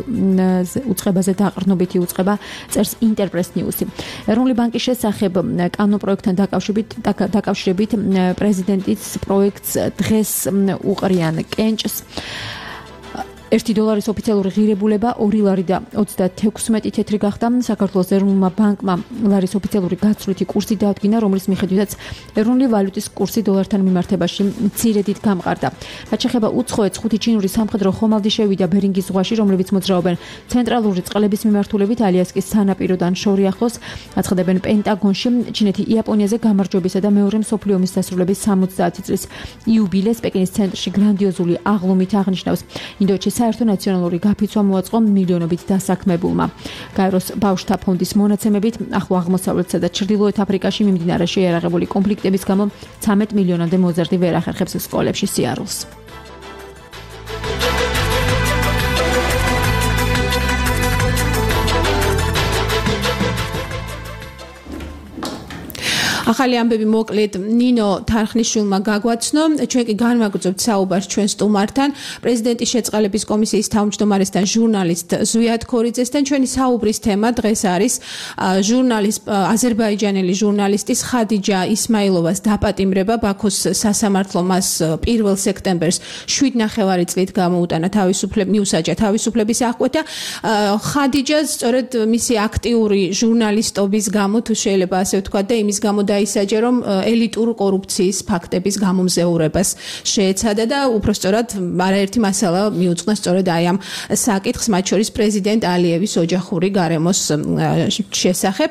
უწყებაზე დაყრდნობითი უწყება წერს ინტერპრეს ნიუსი. ეროვნული ბანკის შესახებ კანონპროექტთან დაკავშირებით პრეზიდენტის პროექტს დღეს უყრიან კენჭს. ერთი დოლარის ოფიციალური ღირებულება ორი ლარი და ოცდათექვსმეტი თეთრი გახდა. საქართველოს ეროვნულმა ბანკმა ლარის ოფიციალური გაცვლითი კურსი დაადგინა, რომლის მიხედვითაც ეროვნული ვალუტის კურსი დოლართან მიმართებაში მცირედით გამყარდა. რაც შეეხება უცხოეთს, ხუთი ჩინური სამხედრო ხომალდი შევიდა ბერინგის ზღვაში, რომლებიც მოძრაობენ ცენტრალური წყლების მიმართულებით ალიასკის სანაპიროდან შორი ახლოს. აცხადებენ პენტაგონში, ჩინეთი იაპონიაზე გამარჯვებისა და მეორე მსოფლიო ომის დასრულების სამოცდაათი წლის იუბილეს პეკინის ცენტრში გრანდიოზული აღლუმით აღნიშნავს. ინდოეთში საერთო ნაციონალური გაფიცვა მოაწყო მილიონობით დასაქმებულმა. გაეროს ბავშვთა ფონდის მონაცემებით, ახლო აღმოსავლეთსა და ჩრდილოეთ აფრიკაში მიმდინარე შეიარაღებული კონფლიქტების გამო ცამეტ მილიონამდე მოზარდი ვერ ახერხებს სკოლებში სიარულს. ახალი ამბები მოკლედ ნინო თარხნიშვილმა გაგვაცნო. ჩვენ კი განვაგრძობთ საუბარს ჩვენ სტუმართან, პრეზიდენტის შეწყალების კომისიის თავმჯდომარესთან, ჟურნალისტ ზვიად ქორიძესთან. ჩვენი საუბრის თემა დღეს არის ჟურნალისტ აზერბაიჯანელი ჟურნალისტის ხადიჯა ისმაილოვას დაპატიმრება. ბაქოს სასამართლომ მას პირველ სექტემბერს შვიდ ნახევარი წლით გამოუტანა თავისუფლების მიუსაჯა თავისუფლების აღკვეთა. ხადიჯა სწორედ მისი აქტიური ჟურნალისტობის გამო, თუ შეიძლება ასე ვთქვა და იმის გამო ისაჯა რომ ელიტურ კორუფციის ფაქტების გამომზეურებას შეეცადა და უпростоრად არაერთი მასალა მიუძღვნა სწორედ აი ამ საკითხს, მათ შორის პრეზიდენტ ალიევის ოჯახური გარემოს შესახებ.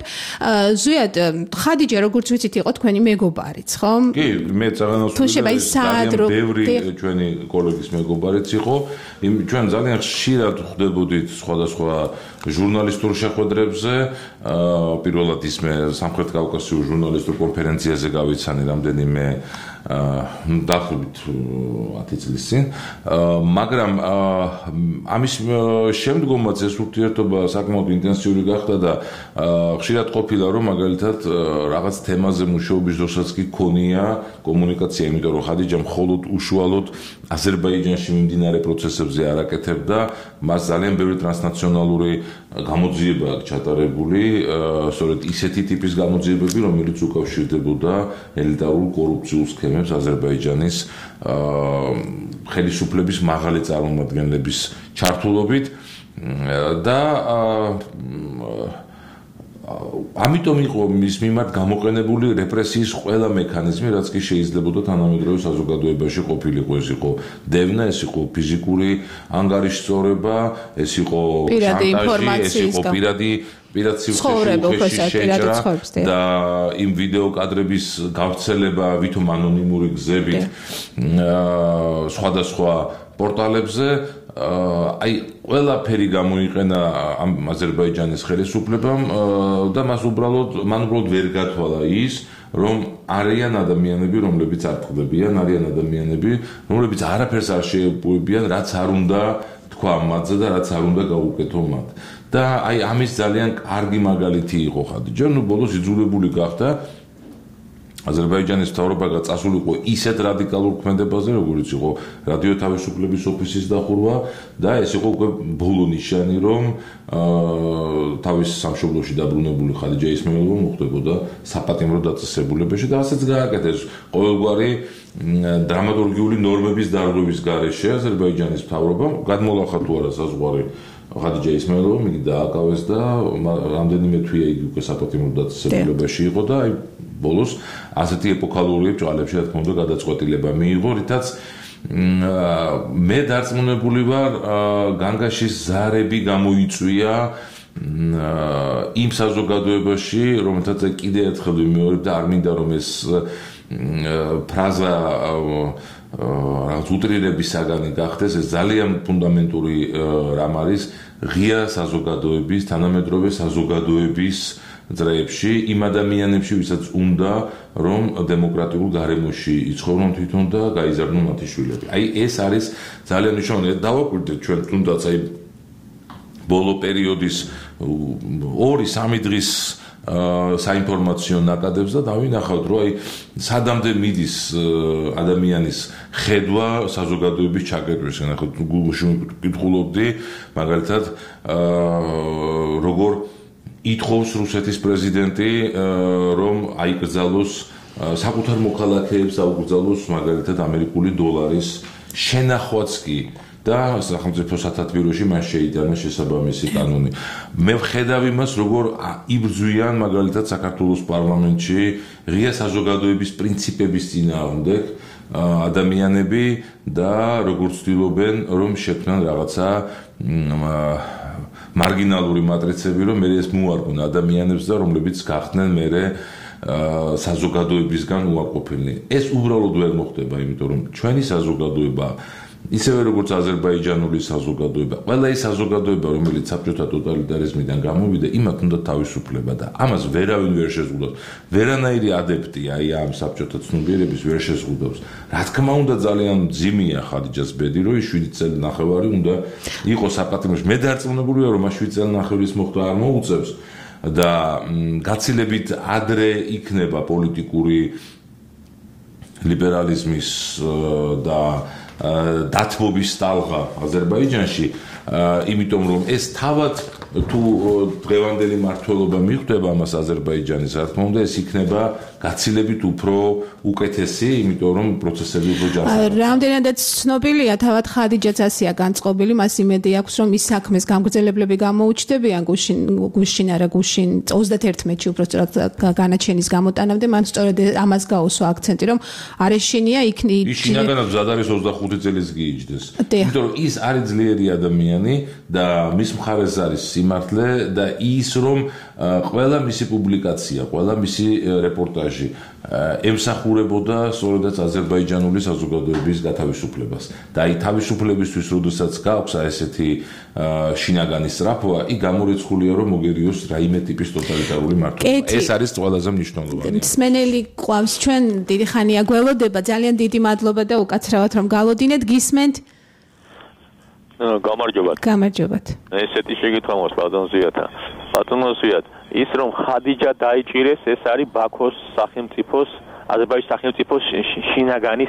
ზვიად, ხადიჯა როგორც ვიცით იყო თქვენი მეგობარიც, ხო? კი, მე წაღანავსვილი ძალიან ბევრი ჩვენი კოლეგის მეგობარიც იყო. ჩვენ ძალიან ხშირად ხვდებოდით სხვადასხვა ჟურნალისტურ შეხვედრებზე, პირველად ისმე სამხრეთ კავკასიურ ჟურნალისტურ კონფერენციაზე გავიცანი რამდენიმე დაახლოებით ათი წლის წინ, მაგრამ ამის შემდგომაც ეს ურთიერთობა საკმაოდ ინტენსიური გახდა და ხშირად ყოფილა რომ მაგალითად რაღაც თემაზე მუშაობის დროსაც კი ქონია კომუნიკაცია, იმიტომ რომ ხადიჯა მხოლოდ უშუალოდ აზერბაიჯანში მიმდინარე პროცესებზე არ აკეთებდა, მას ძალიან ბევრი ტრანსნაციონალური გამოძიება აქვს ჩატარებული, სწორედ ისეთი ტიპის გამოძიებები, რომელიც უკავშირდებოდა ელიტარულ კორუფციულ სქემებს აზერბაიჯანის ხელისუფლების მაღალი წარმომადგენლების ჩართულობით და ამიტომ იყო მის მიმართ გამოყენებული რეპრესიის ყველა მექანიზმი, რაც კი შეიძლებოდა თანამედროვე საზოგადოებაში ყოფილიყო. ეს იყო დევნა, ეს იყო ფიზიკური ანგარიშწორება, ეს იყო შანტაჟი, ეს იყო პირადი პირად სიუხეში შეჭრა და იმ ვიდეო კადრების გავრცელება ვითომ ანონიმური გზებით სხვადასხვა პორტალებზე. აი ყველაფერი გამოიყენა ამ აზერბაიჯანის ხელისუფლებამ და მას უბრალოდ მან უბრალოდ ვერ გათვალა ის, რომ არიან ადამიანები, რომლებიც არ ყდებიან, არიან ადამიანები, რომლებიც არაფერს არ შეეპოვებიან, რაც არ უნდა თქვა მათზე და რაც არ უნდა გაუკეთო მათ. და აი ამის ძალიან კარგი მაგალითი იყო ხადიჯა, ნუ ბოლოს იძულებული გახდა აზერბაიჯანის მთავრობა გაწასულიყო ისეთ რადიკალურ ქმედებაზე, როგორც იყო რადიო თავისუფლების ოფისის დახურვა და ეს იყო უკვე ბოლო ნიშანი, რომ თავის სამშობლოში დაბრუნებული ხადიჯა ისმაილოვა მოხდებოდა საპატიმრო დაწესებულებაში და ასეც გააკეთეს ყოველგვარი დრამატურგიული ნორმების დარღვევის გარეშე აზერბაიჯანის მთავრობამ გადმოლახა თუ არა საზღვარი ხადიჯა ისმაილოვა მიგი დააკავეს და რამდენიმე თვეა იგი უკვე საპატიმრო დაწესებულებაში იყო და აი ბოლოს ასეთი ეპოქალური ბჭყალებში რა თქმა უნდა გადაწყვეტილება მიიღო, რითაც მე დარწმუნებული ვარ განგაშის ზარები გამოიწვია იმ საზოგადოებაში, რომელთაც კიდე ერთხელ ვიმეორებ და არ მინდა რომ ეს ფრაზა რაღაც უტრირების საგანი გახდეს, ეს ძალიან ფუნდამენტური რამ არის ღია საზოგადოების, თანამედროვე საზოგადოების ძრეებში, იმ ადამიანებში, ვისაც უნდა რომ დემოკრატიულ გარემოში იცხოვრონ თვითონ და გაიზარდონ მათი შვილები. აი ეს არის ძალიან მნიშვნელოვანი. დავაკვირდეთ ჩვენ თუნდაც აი ბოლო პერიოდის ორი სამი დღის საინფორმაციო ნაკადებს და დავინახავთ, რომ აი სადამდე მიდის ადამიანის ხედვა საზოგადოების ჩაკეტვის. ნახოთ, გუგლში ვკითხულობდი, მაგალითად, როგორ ითხოვს რუსეთის პრეზიდენტი რომ აიკრძალოს საკუთარ მოქალაქეებს აუკრძალოს მაგალითად ამერიკული დოლარის შენახვაც კი და სახელმწიფო სათათბიროში მას შეიტანა შესაბამისი კანონი. მე ვხედავ იმას, როგორ იბრძვიან მაგალითად საქართველოს პარლამენტში ღია საზოგადოების პრინციპების წინააღმდეგ ადამიანები და როგორ ცდილობენ რომ შექმნან რაღაცა მარგინალური მატრიცები, რომ მე ეს მოარგონ ადამიანებს და რომლებიც გახდნენ მე საზოგადოებისგან უარყოფილნი. ეს უბრალოდ ვერ მოხდება, იმიტომ რომ ჩვენი საზოგადოება ისევე როგორც აზერბაიჯანული საზოგადოება, ყველა ის საზოგადოება, რომელიც საბჭოთა ტოტალიტარიზმიდან გამოვიდა, იმათ უნდა თავისუფლება და ამას ვერავინ ვერ შეზღუდავს. ვერანაირი ადეპტი აი ამ საბჭოთა ცნობიერების ვერ შეზღუდავს. რა თქმა უნდა ძალიან მძიმეა ხადიჯას ბედი, რომ შვიდი წელი ნახევარი უნდა იყოს საპატიმროში. მე დარწმუნებული ვარ, რომ მას შვიდი წელი ნახევრის მოხდა არ მოუწევს და გაცილებით ადრე იქნება პოლიტიკური ლიბერალიზმის და დათმობის ტალღა აზერბაიჯანში, იმიტომ რომ ეს თავად თუ დღევანდელი მართლობა მიხვდება ამას აზერბაიჯანის, რა თქმა უნდა, ეს იქნება გაცილებით უფრო უკეთესი, იმიტომ რომ პროცესები უფრო ჯანსაღია. რამდენადაც ცნობილია, თავად ხადიჯაც ასეა განწყობილი, მას იმედი აქვს, რომ ის საქმეს გამგრძელებლები გამოუჩნდებიან გუშინ, გუშინ არა გუშინ ოცდაათერთში უბრალოდ განაჩენის გამოტანამდე, მან სწორედ ამას გაუსვა აქცენტი, რომ არეშინია იქნი ის შინაგანად მზად არის ოცდახუთი წელიც გიიჯდეს. იმიტომ რომ ის არის ძლიერი ადამიანი და მის მხარეს არის სიმართლე და ის რომ ყველა მისი პუბლიკაცია, ყველა მისი რეპორტაჟი ემსახურებოდა სწორედაც აზერბაიჯანული საზოგადოების გათავისუფლებას. და აი თავისუფლებისთვის, როდესაც გააქვს ესეთი შინაგანი სწრაფვა, იქ გამორიცხულია, რომ მოგერიოს რაიმე ტიპის ტოტალიტარული მართლობა. ეს არის ყველაზე მნიშვნელოვანი. მსმენელი ყავს ჩვენ დიდი ხანია გველოდება, ძალიან დიდი მადლობა და უკაცრავად რომ გალოდინეთ, გისმენთ. გამარჯობათ. გამარჯობათ. ესეთი შეკითხვა მოს ბატონ ზიათა. ბატონ ზიათ, ის რომ ხადიჯა დაიჭირეს, ეს არის ბაქოს სახელმწიფოს, აზერბაიჯანის სახელმწიფოს შინაგანი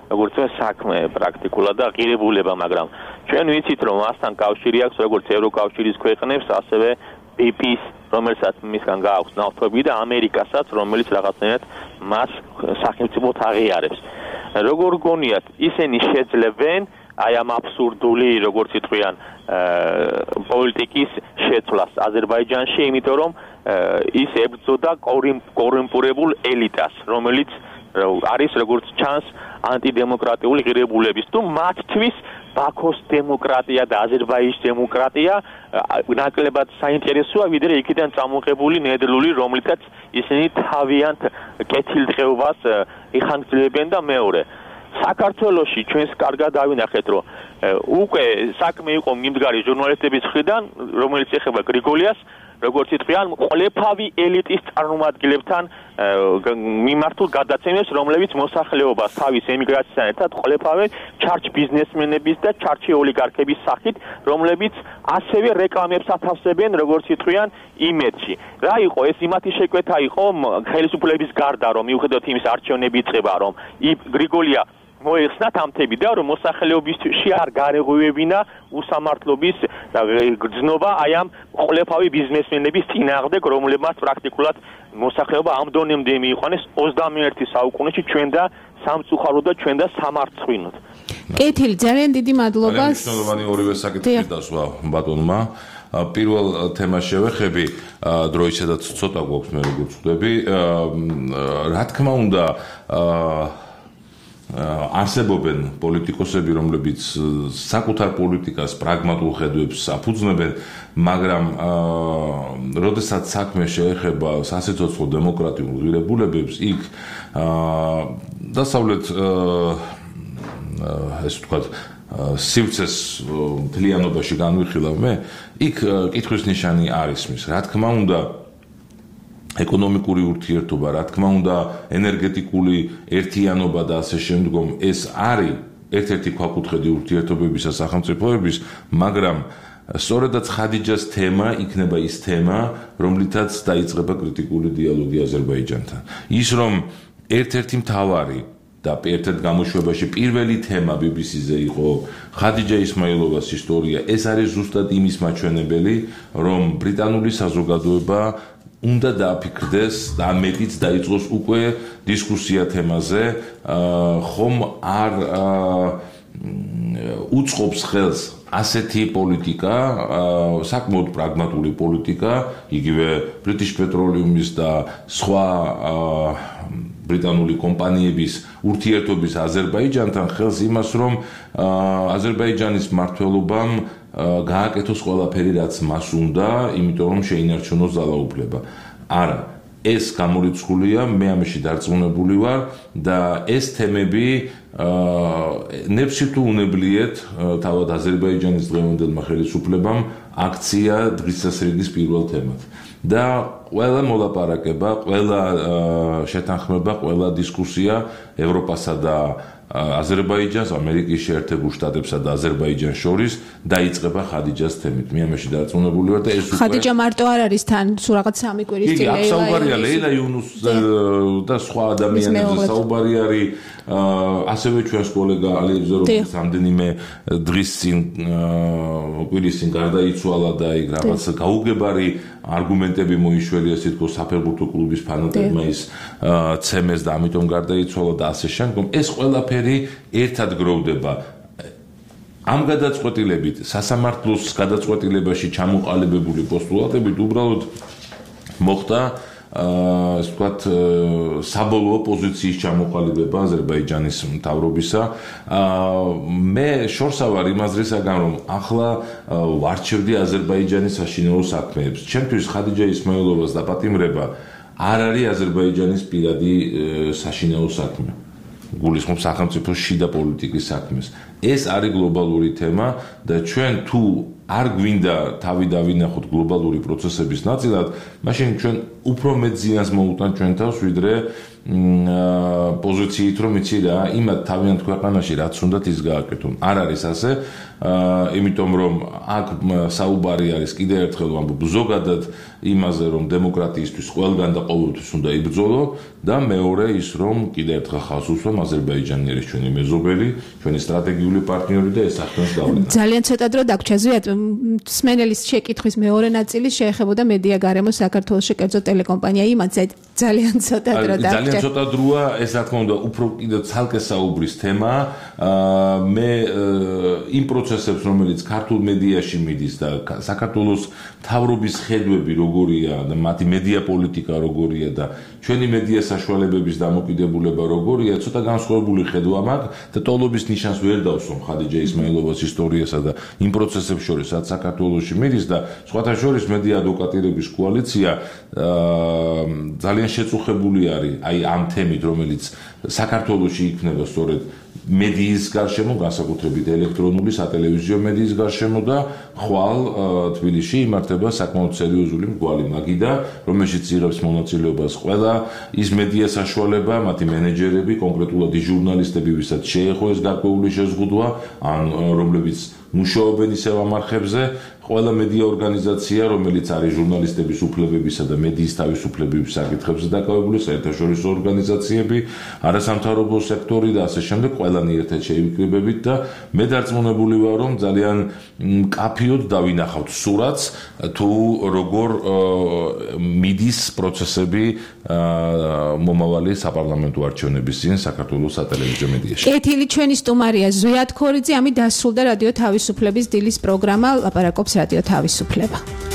როგორც საქმე პრაქტიკულად და ღირებულება, მაგრამ ჩვენ ვიცით რომ მასთან კავშირი აქვს როგორც ევროკავშირის ქვეყნებს, ასევე ბი პი-ს, რომელსაც მისგან გააქვს ნავთობი და ამერიკასაც, რომელიც რაღაცნაირად მას სახელმწიფოდ აღიარებს. როგორ გონიათ, ისინი შეძლებენ აი ამ აბსურდული, როგორც იტყვიან, პოლიტიკის შეცვლას აზერბაიჯანში, იმიტომ რომ ის ებრძოდა კორუმპირებულ ელიტას, რომელიც არის როგორც ჩანს ანტიდემოკრატიული ღირებულების თუ მათთვის ბაქოს დემოკრატია და აზერბაიჯანის დემოკრატია ნაკლებად საინტერესოა, ვიდრე იქიდან წამოღებული ნედლული, რომლითაც ისინი თავიანთ კეთილდღეობას იხანგრძლივებენ და მეორე საქართველოში ჩვენს კარგად დავინახეთ, რომ უკვე საქმე იყო მიმდგარი ჟურნალისტების მხრიდან, რომელიც ეხება გრიგოლიას, როგორც იტყვიან, ყოლეფავი ელიტის წარმომადგენლებთან მიმართულ გადაცემებს, რომლებიც მოსახლეობას თავის ემიგრაციასთან ერთად ყოლეფავენ ჩარჩ ბიზნესმენების და ჩარჩი ოლიგარქების სახით, რომლებიც ასევე რეკლამებს ათავსებენ, როგორც იტყვიან, იმედში. რა იყო ეს იმათი შეკვეთა იყო ხელისუფლების გარდა, რომ მიუხედავად იმის არჩევნები იწყება, რომ გრიგოლია მოეხსნათ ამთები და რომ მოსახლეობისთვის არ გარეღვევებინა უსამართლობის გრძნობა აი ამ ყოლეფავი ბიზნესმენების წინააღმდეგ, რომლებმაც პრაქტიკულად მოსახლეობა ამ დონემდე მიიყვანეს ოცდამეერთე საუკუნეში ჩვენ და სამწუხარო და ჩვენ და სამარცხვინოდ. კეთილი, ძალიან დიდი მადლობა. მნიშვნელოვანი ორივე საკითხი დასვა ბატონმა. პირველ თემას შევეხები, დროისედაც ცოტა გვაქვს მე როგორც ხვდები. რა თქმა უნდა, არსებობენ პოლიტიკოსები, რომლებიც საკუთარ პოლიტიკას პრაგმატულ ხედვებს აფუძნებენ, მაგრამ როდესაც საქმე შეეხება სასიცოცხლო დემოკრატიულ ღირებულებებს, იქ დასავლეთ ესე ვთქვათ სივრცეს მთლიანობაში განვიხილავ მე, იქ კითხვის ნიშანი არის მის. რა თქმა უნდა, ეკონომიკური ურთიერთობა, რა თქმა უნდა, ენერგეტიკული ერთიანობა და ასე შემდგომ, ეს არის ერთ-ერთი ქვაკუთხედი ურთიერთობებისა სახელმწიფოების, მაგრამ სწორედაც ხადიჯას თემა იქნება ის თემა, რომლითაც დაიწყება კრიტიკული დიალოგი აზერბაიჯანთან. ის რომ ერთ-ერთი მთავარი და ერთ-ერთ გამოშვებაში პირველი თემა ბი ბი სი-ზე იყო ხადიჯა ისმაილოვას ისტორია, ეს არის ზუსტად იმის მაჩვენებელი, რომ ბრიტანული საზოგადოება უნდა დააფიქრდეს და მეტიც დაიწყოს უკვე დისკუსია თემაზე, ხომ არ უწყობს ხელს ასეთი პოლიტიკა, საკმაოდ პრაგმატული პოლიტიკა, იგივე British Petroleum-ის და სხვა ბრიტანული კომპანიების ურთიერთობის აზერბაიჯანთან ხელს იმას, რომ აზერბაიჯანის მმართველობამ გააკეთოს ყველაფერი, რაც მას უნდა, იმიტომ რომ შეინარჩუნოს ძალაუფლება. არა, ეს გამორიცხულია, მე ამაში დარწმუნებული ვარ და ეს თემები ნებსი თუ უნებლიეთ თავად აზერბაიჯანის დღევანდელმა ხელისუფლებამ აქცია დღის წესრიგის პირველ თემად. და ყველა მოლაპარაკება, ყველა შეთანხმება, ყველა დისკუსია ევროპასა და აზერბაიჯანს, ამერიკის შეერთებულ შტატებსა და აზერბაიჯანს შორის დაიწყება ხადიჯას თემით. მე ამაში დარწმუნებული ვარ და ეს უკვე ხადიჯა მარტო არ არის თან, სულ რაღაც სამი კვირის წინ ლეილა. იგი საუბარია ლეილა იუნუს და სხვა ადამიანებზე საუბარი არის. ასევე ჩვენს კოლეგა ალიევზე, რომელიც რამდენიმე დღის წინ კვირის წინ გარდაიცვალა და იქ რაღაც გაუგებარი არგუმენტები მოიშველია, თითქოს საფეხბურთო კლუბის ფანატებმა ის ცემეს და ამიტომ გარდაიცვალა და ასე შემდგომ. ეს ყველაფერი ერთად გროვდება. ამ გადაწყვეტილებით, სასამართლოს გადაწყვეტილებაში ჩამოყალიბებული პოსტულატებით უბრალოდ მოხდა ასე ვთქვათ, საბოლოო პოზიციის ჩამოყალიბება აზერბაიჯანის მთავრობისა. მე შორსა ვარ იმ აზრისაგან, რომ ახლა ვარჩევდი აზერბაიჯანის საშინაო საქმეებს. ჩემთვის ხადიჯა ისმაილოვას დაპატიმრება არ არის აზერბაიჯანის პირადი საშინაო საქმე. გულისხმობს სახელმწიფოს შიდა პოლიტიკის საქმეს. ეს არის გლობალური თემა და ჩვენ თუ არ გვინდა თავი დავინახოთ გლობალური პროცესების ნაწილად, მაშინ ჩვენ უფრო მეტ ზიანს მოუტანთ ჩვენ თავს, ვიდრე პოზიციით რომ იცი რა, იმათ თავიანთ ქვეყანაში რაც უნდათ ის გააკეთონ. არ არის ასე, იმიტომ რომ აქ საუბარი არის კიდევ ერთხელ ვამბობ ზოგადად იმაზე რომ დემოკრატიისთვის ყველგან და ყოველთვის უნდა იბრძოლო და მეორე ის რომ კიდევ ერთხელ ხალხს უსვამ აზერბაიჯანი არის ჩვენი მეზობელი, ჩვენი სტრატეგიული პარტნიორი და ეს ახდენს გავლენა. ძალიან ცოტა დრო დაგვრჩა ზვიად სმენელის შეკითხვის მეორე ნაწილი შეეხებოდა მედია გარემოს საქართველოს კერძო ტელეკომპანია იმათზე ძალიან ცოტა დრო დაგვრჩა. ძალიან ცოტა დროა, ეს რა თქმა უნდა უფრო კიდევ ცალკე საუბრის თემა. მე იმ პროცესებს რომელიც ქართულ მედიაში მიდის და საქართველოს მთავრობის ხედვები როგორია და მათი მედია პოლიტიკა როგორია და ჩვენი მედია საშუალებების დამოკიდებულება როგორია, ცოტა განსხვავებული ხედვა მაქვს და ტოლობის ნიშანს ვერ დავსვამ ხადიჯა ისმაილოვას ისტორიასა და იმ პროცესებს შორის, რაც საქართველოში მიდის და სხვათა შორის მედია ადვოკატირების კოალიცია ძალიან შეწუხებული არის აი ამ თემით, რომელიც საქართველოში იქნება სწორედ მედიის გარშემო, განსაკუთრებით ელექტრონული სატელევიზიო მედიის გარშემო და ხვალ თბილისში იმართება საკმაოდ სერიოზული მრგვალი მაგიდა, რომელშიც იღებს მონაწილეობას ყველა ის მედია საშუალება, მათი მენეჯერები, კონკრეტულად ის ჟურნალისტები, ვისაც შეეხო ეს გარკვეული შეზღუდვა, ან რომლებიც მუშაობენ ისევ ამ არხებზე, ყველა მედია ორგანიზაცია, რომელიც არის ჟურნალისტების უფლებებისა და მედიის თავისუფლების საკითხებზე დაკავებული, საერთაშორისო ორგანიზაციები, არასამთავრობო სექტორი და ასე შემდეგ, ყველანი ერთად შეივიკრიბებით და მე დარწმუნებული ვარ, რომ ძალიან მკაფიოდ დავინახავთ სურათს, თუ როგორ მიდის პროცესები მომავალი საპარლამენტო არჩევნების წინ საქართველოს სატელევიზიო მედიაში. კეთილი ჩვენი სტუმარია ზვიად ქორიძე, ამით დასრულდა რადიო თავისუფლების დილის პროგრამა, ლაპარაკობს რადიო თავისუფლება.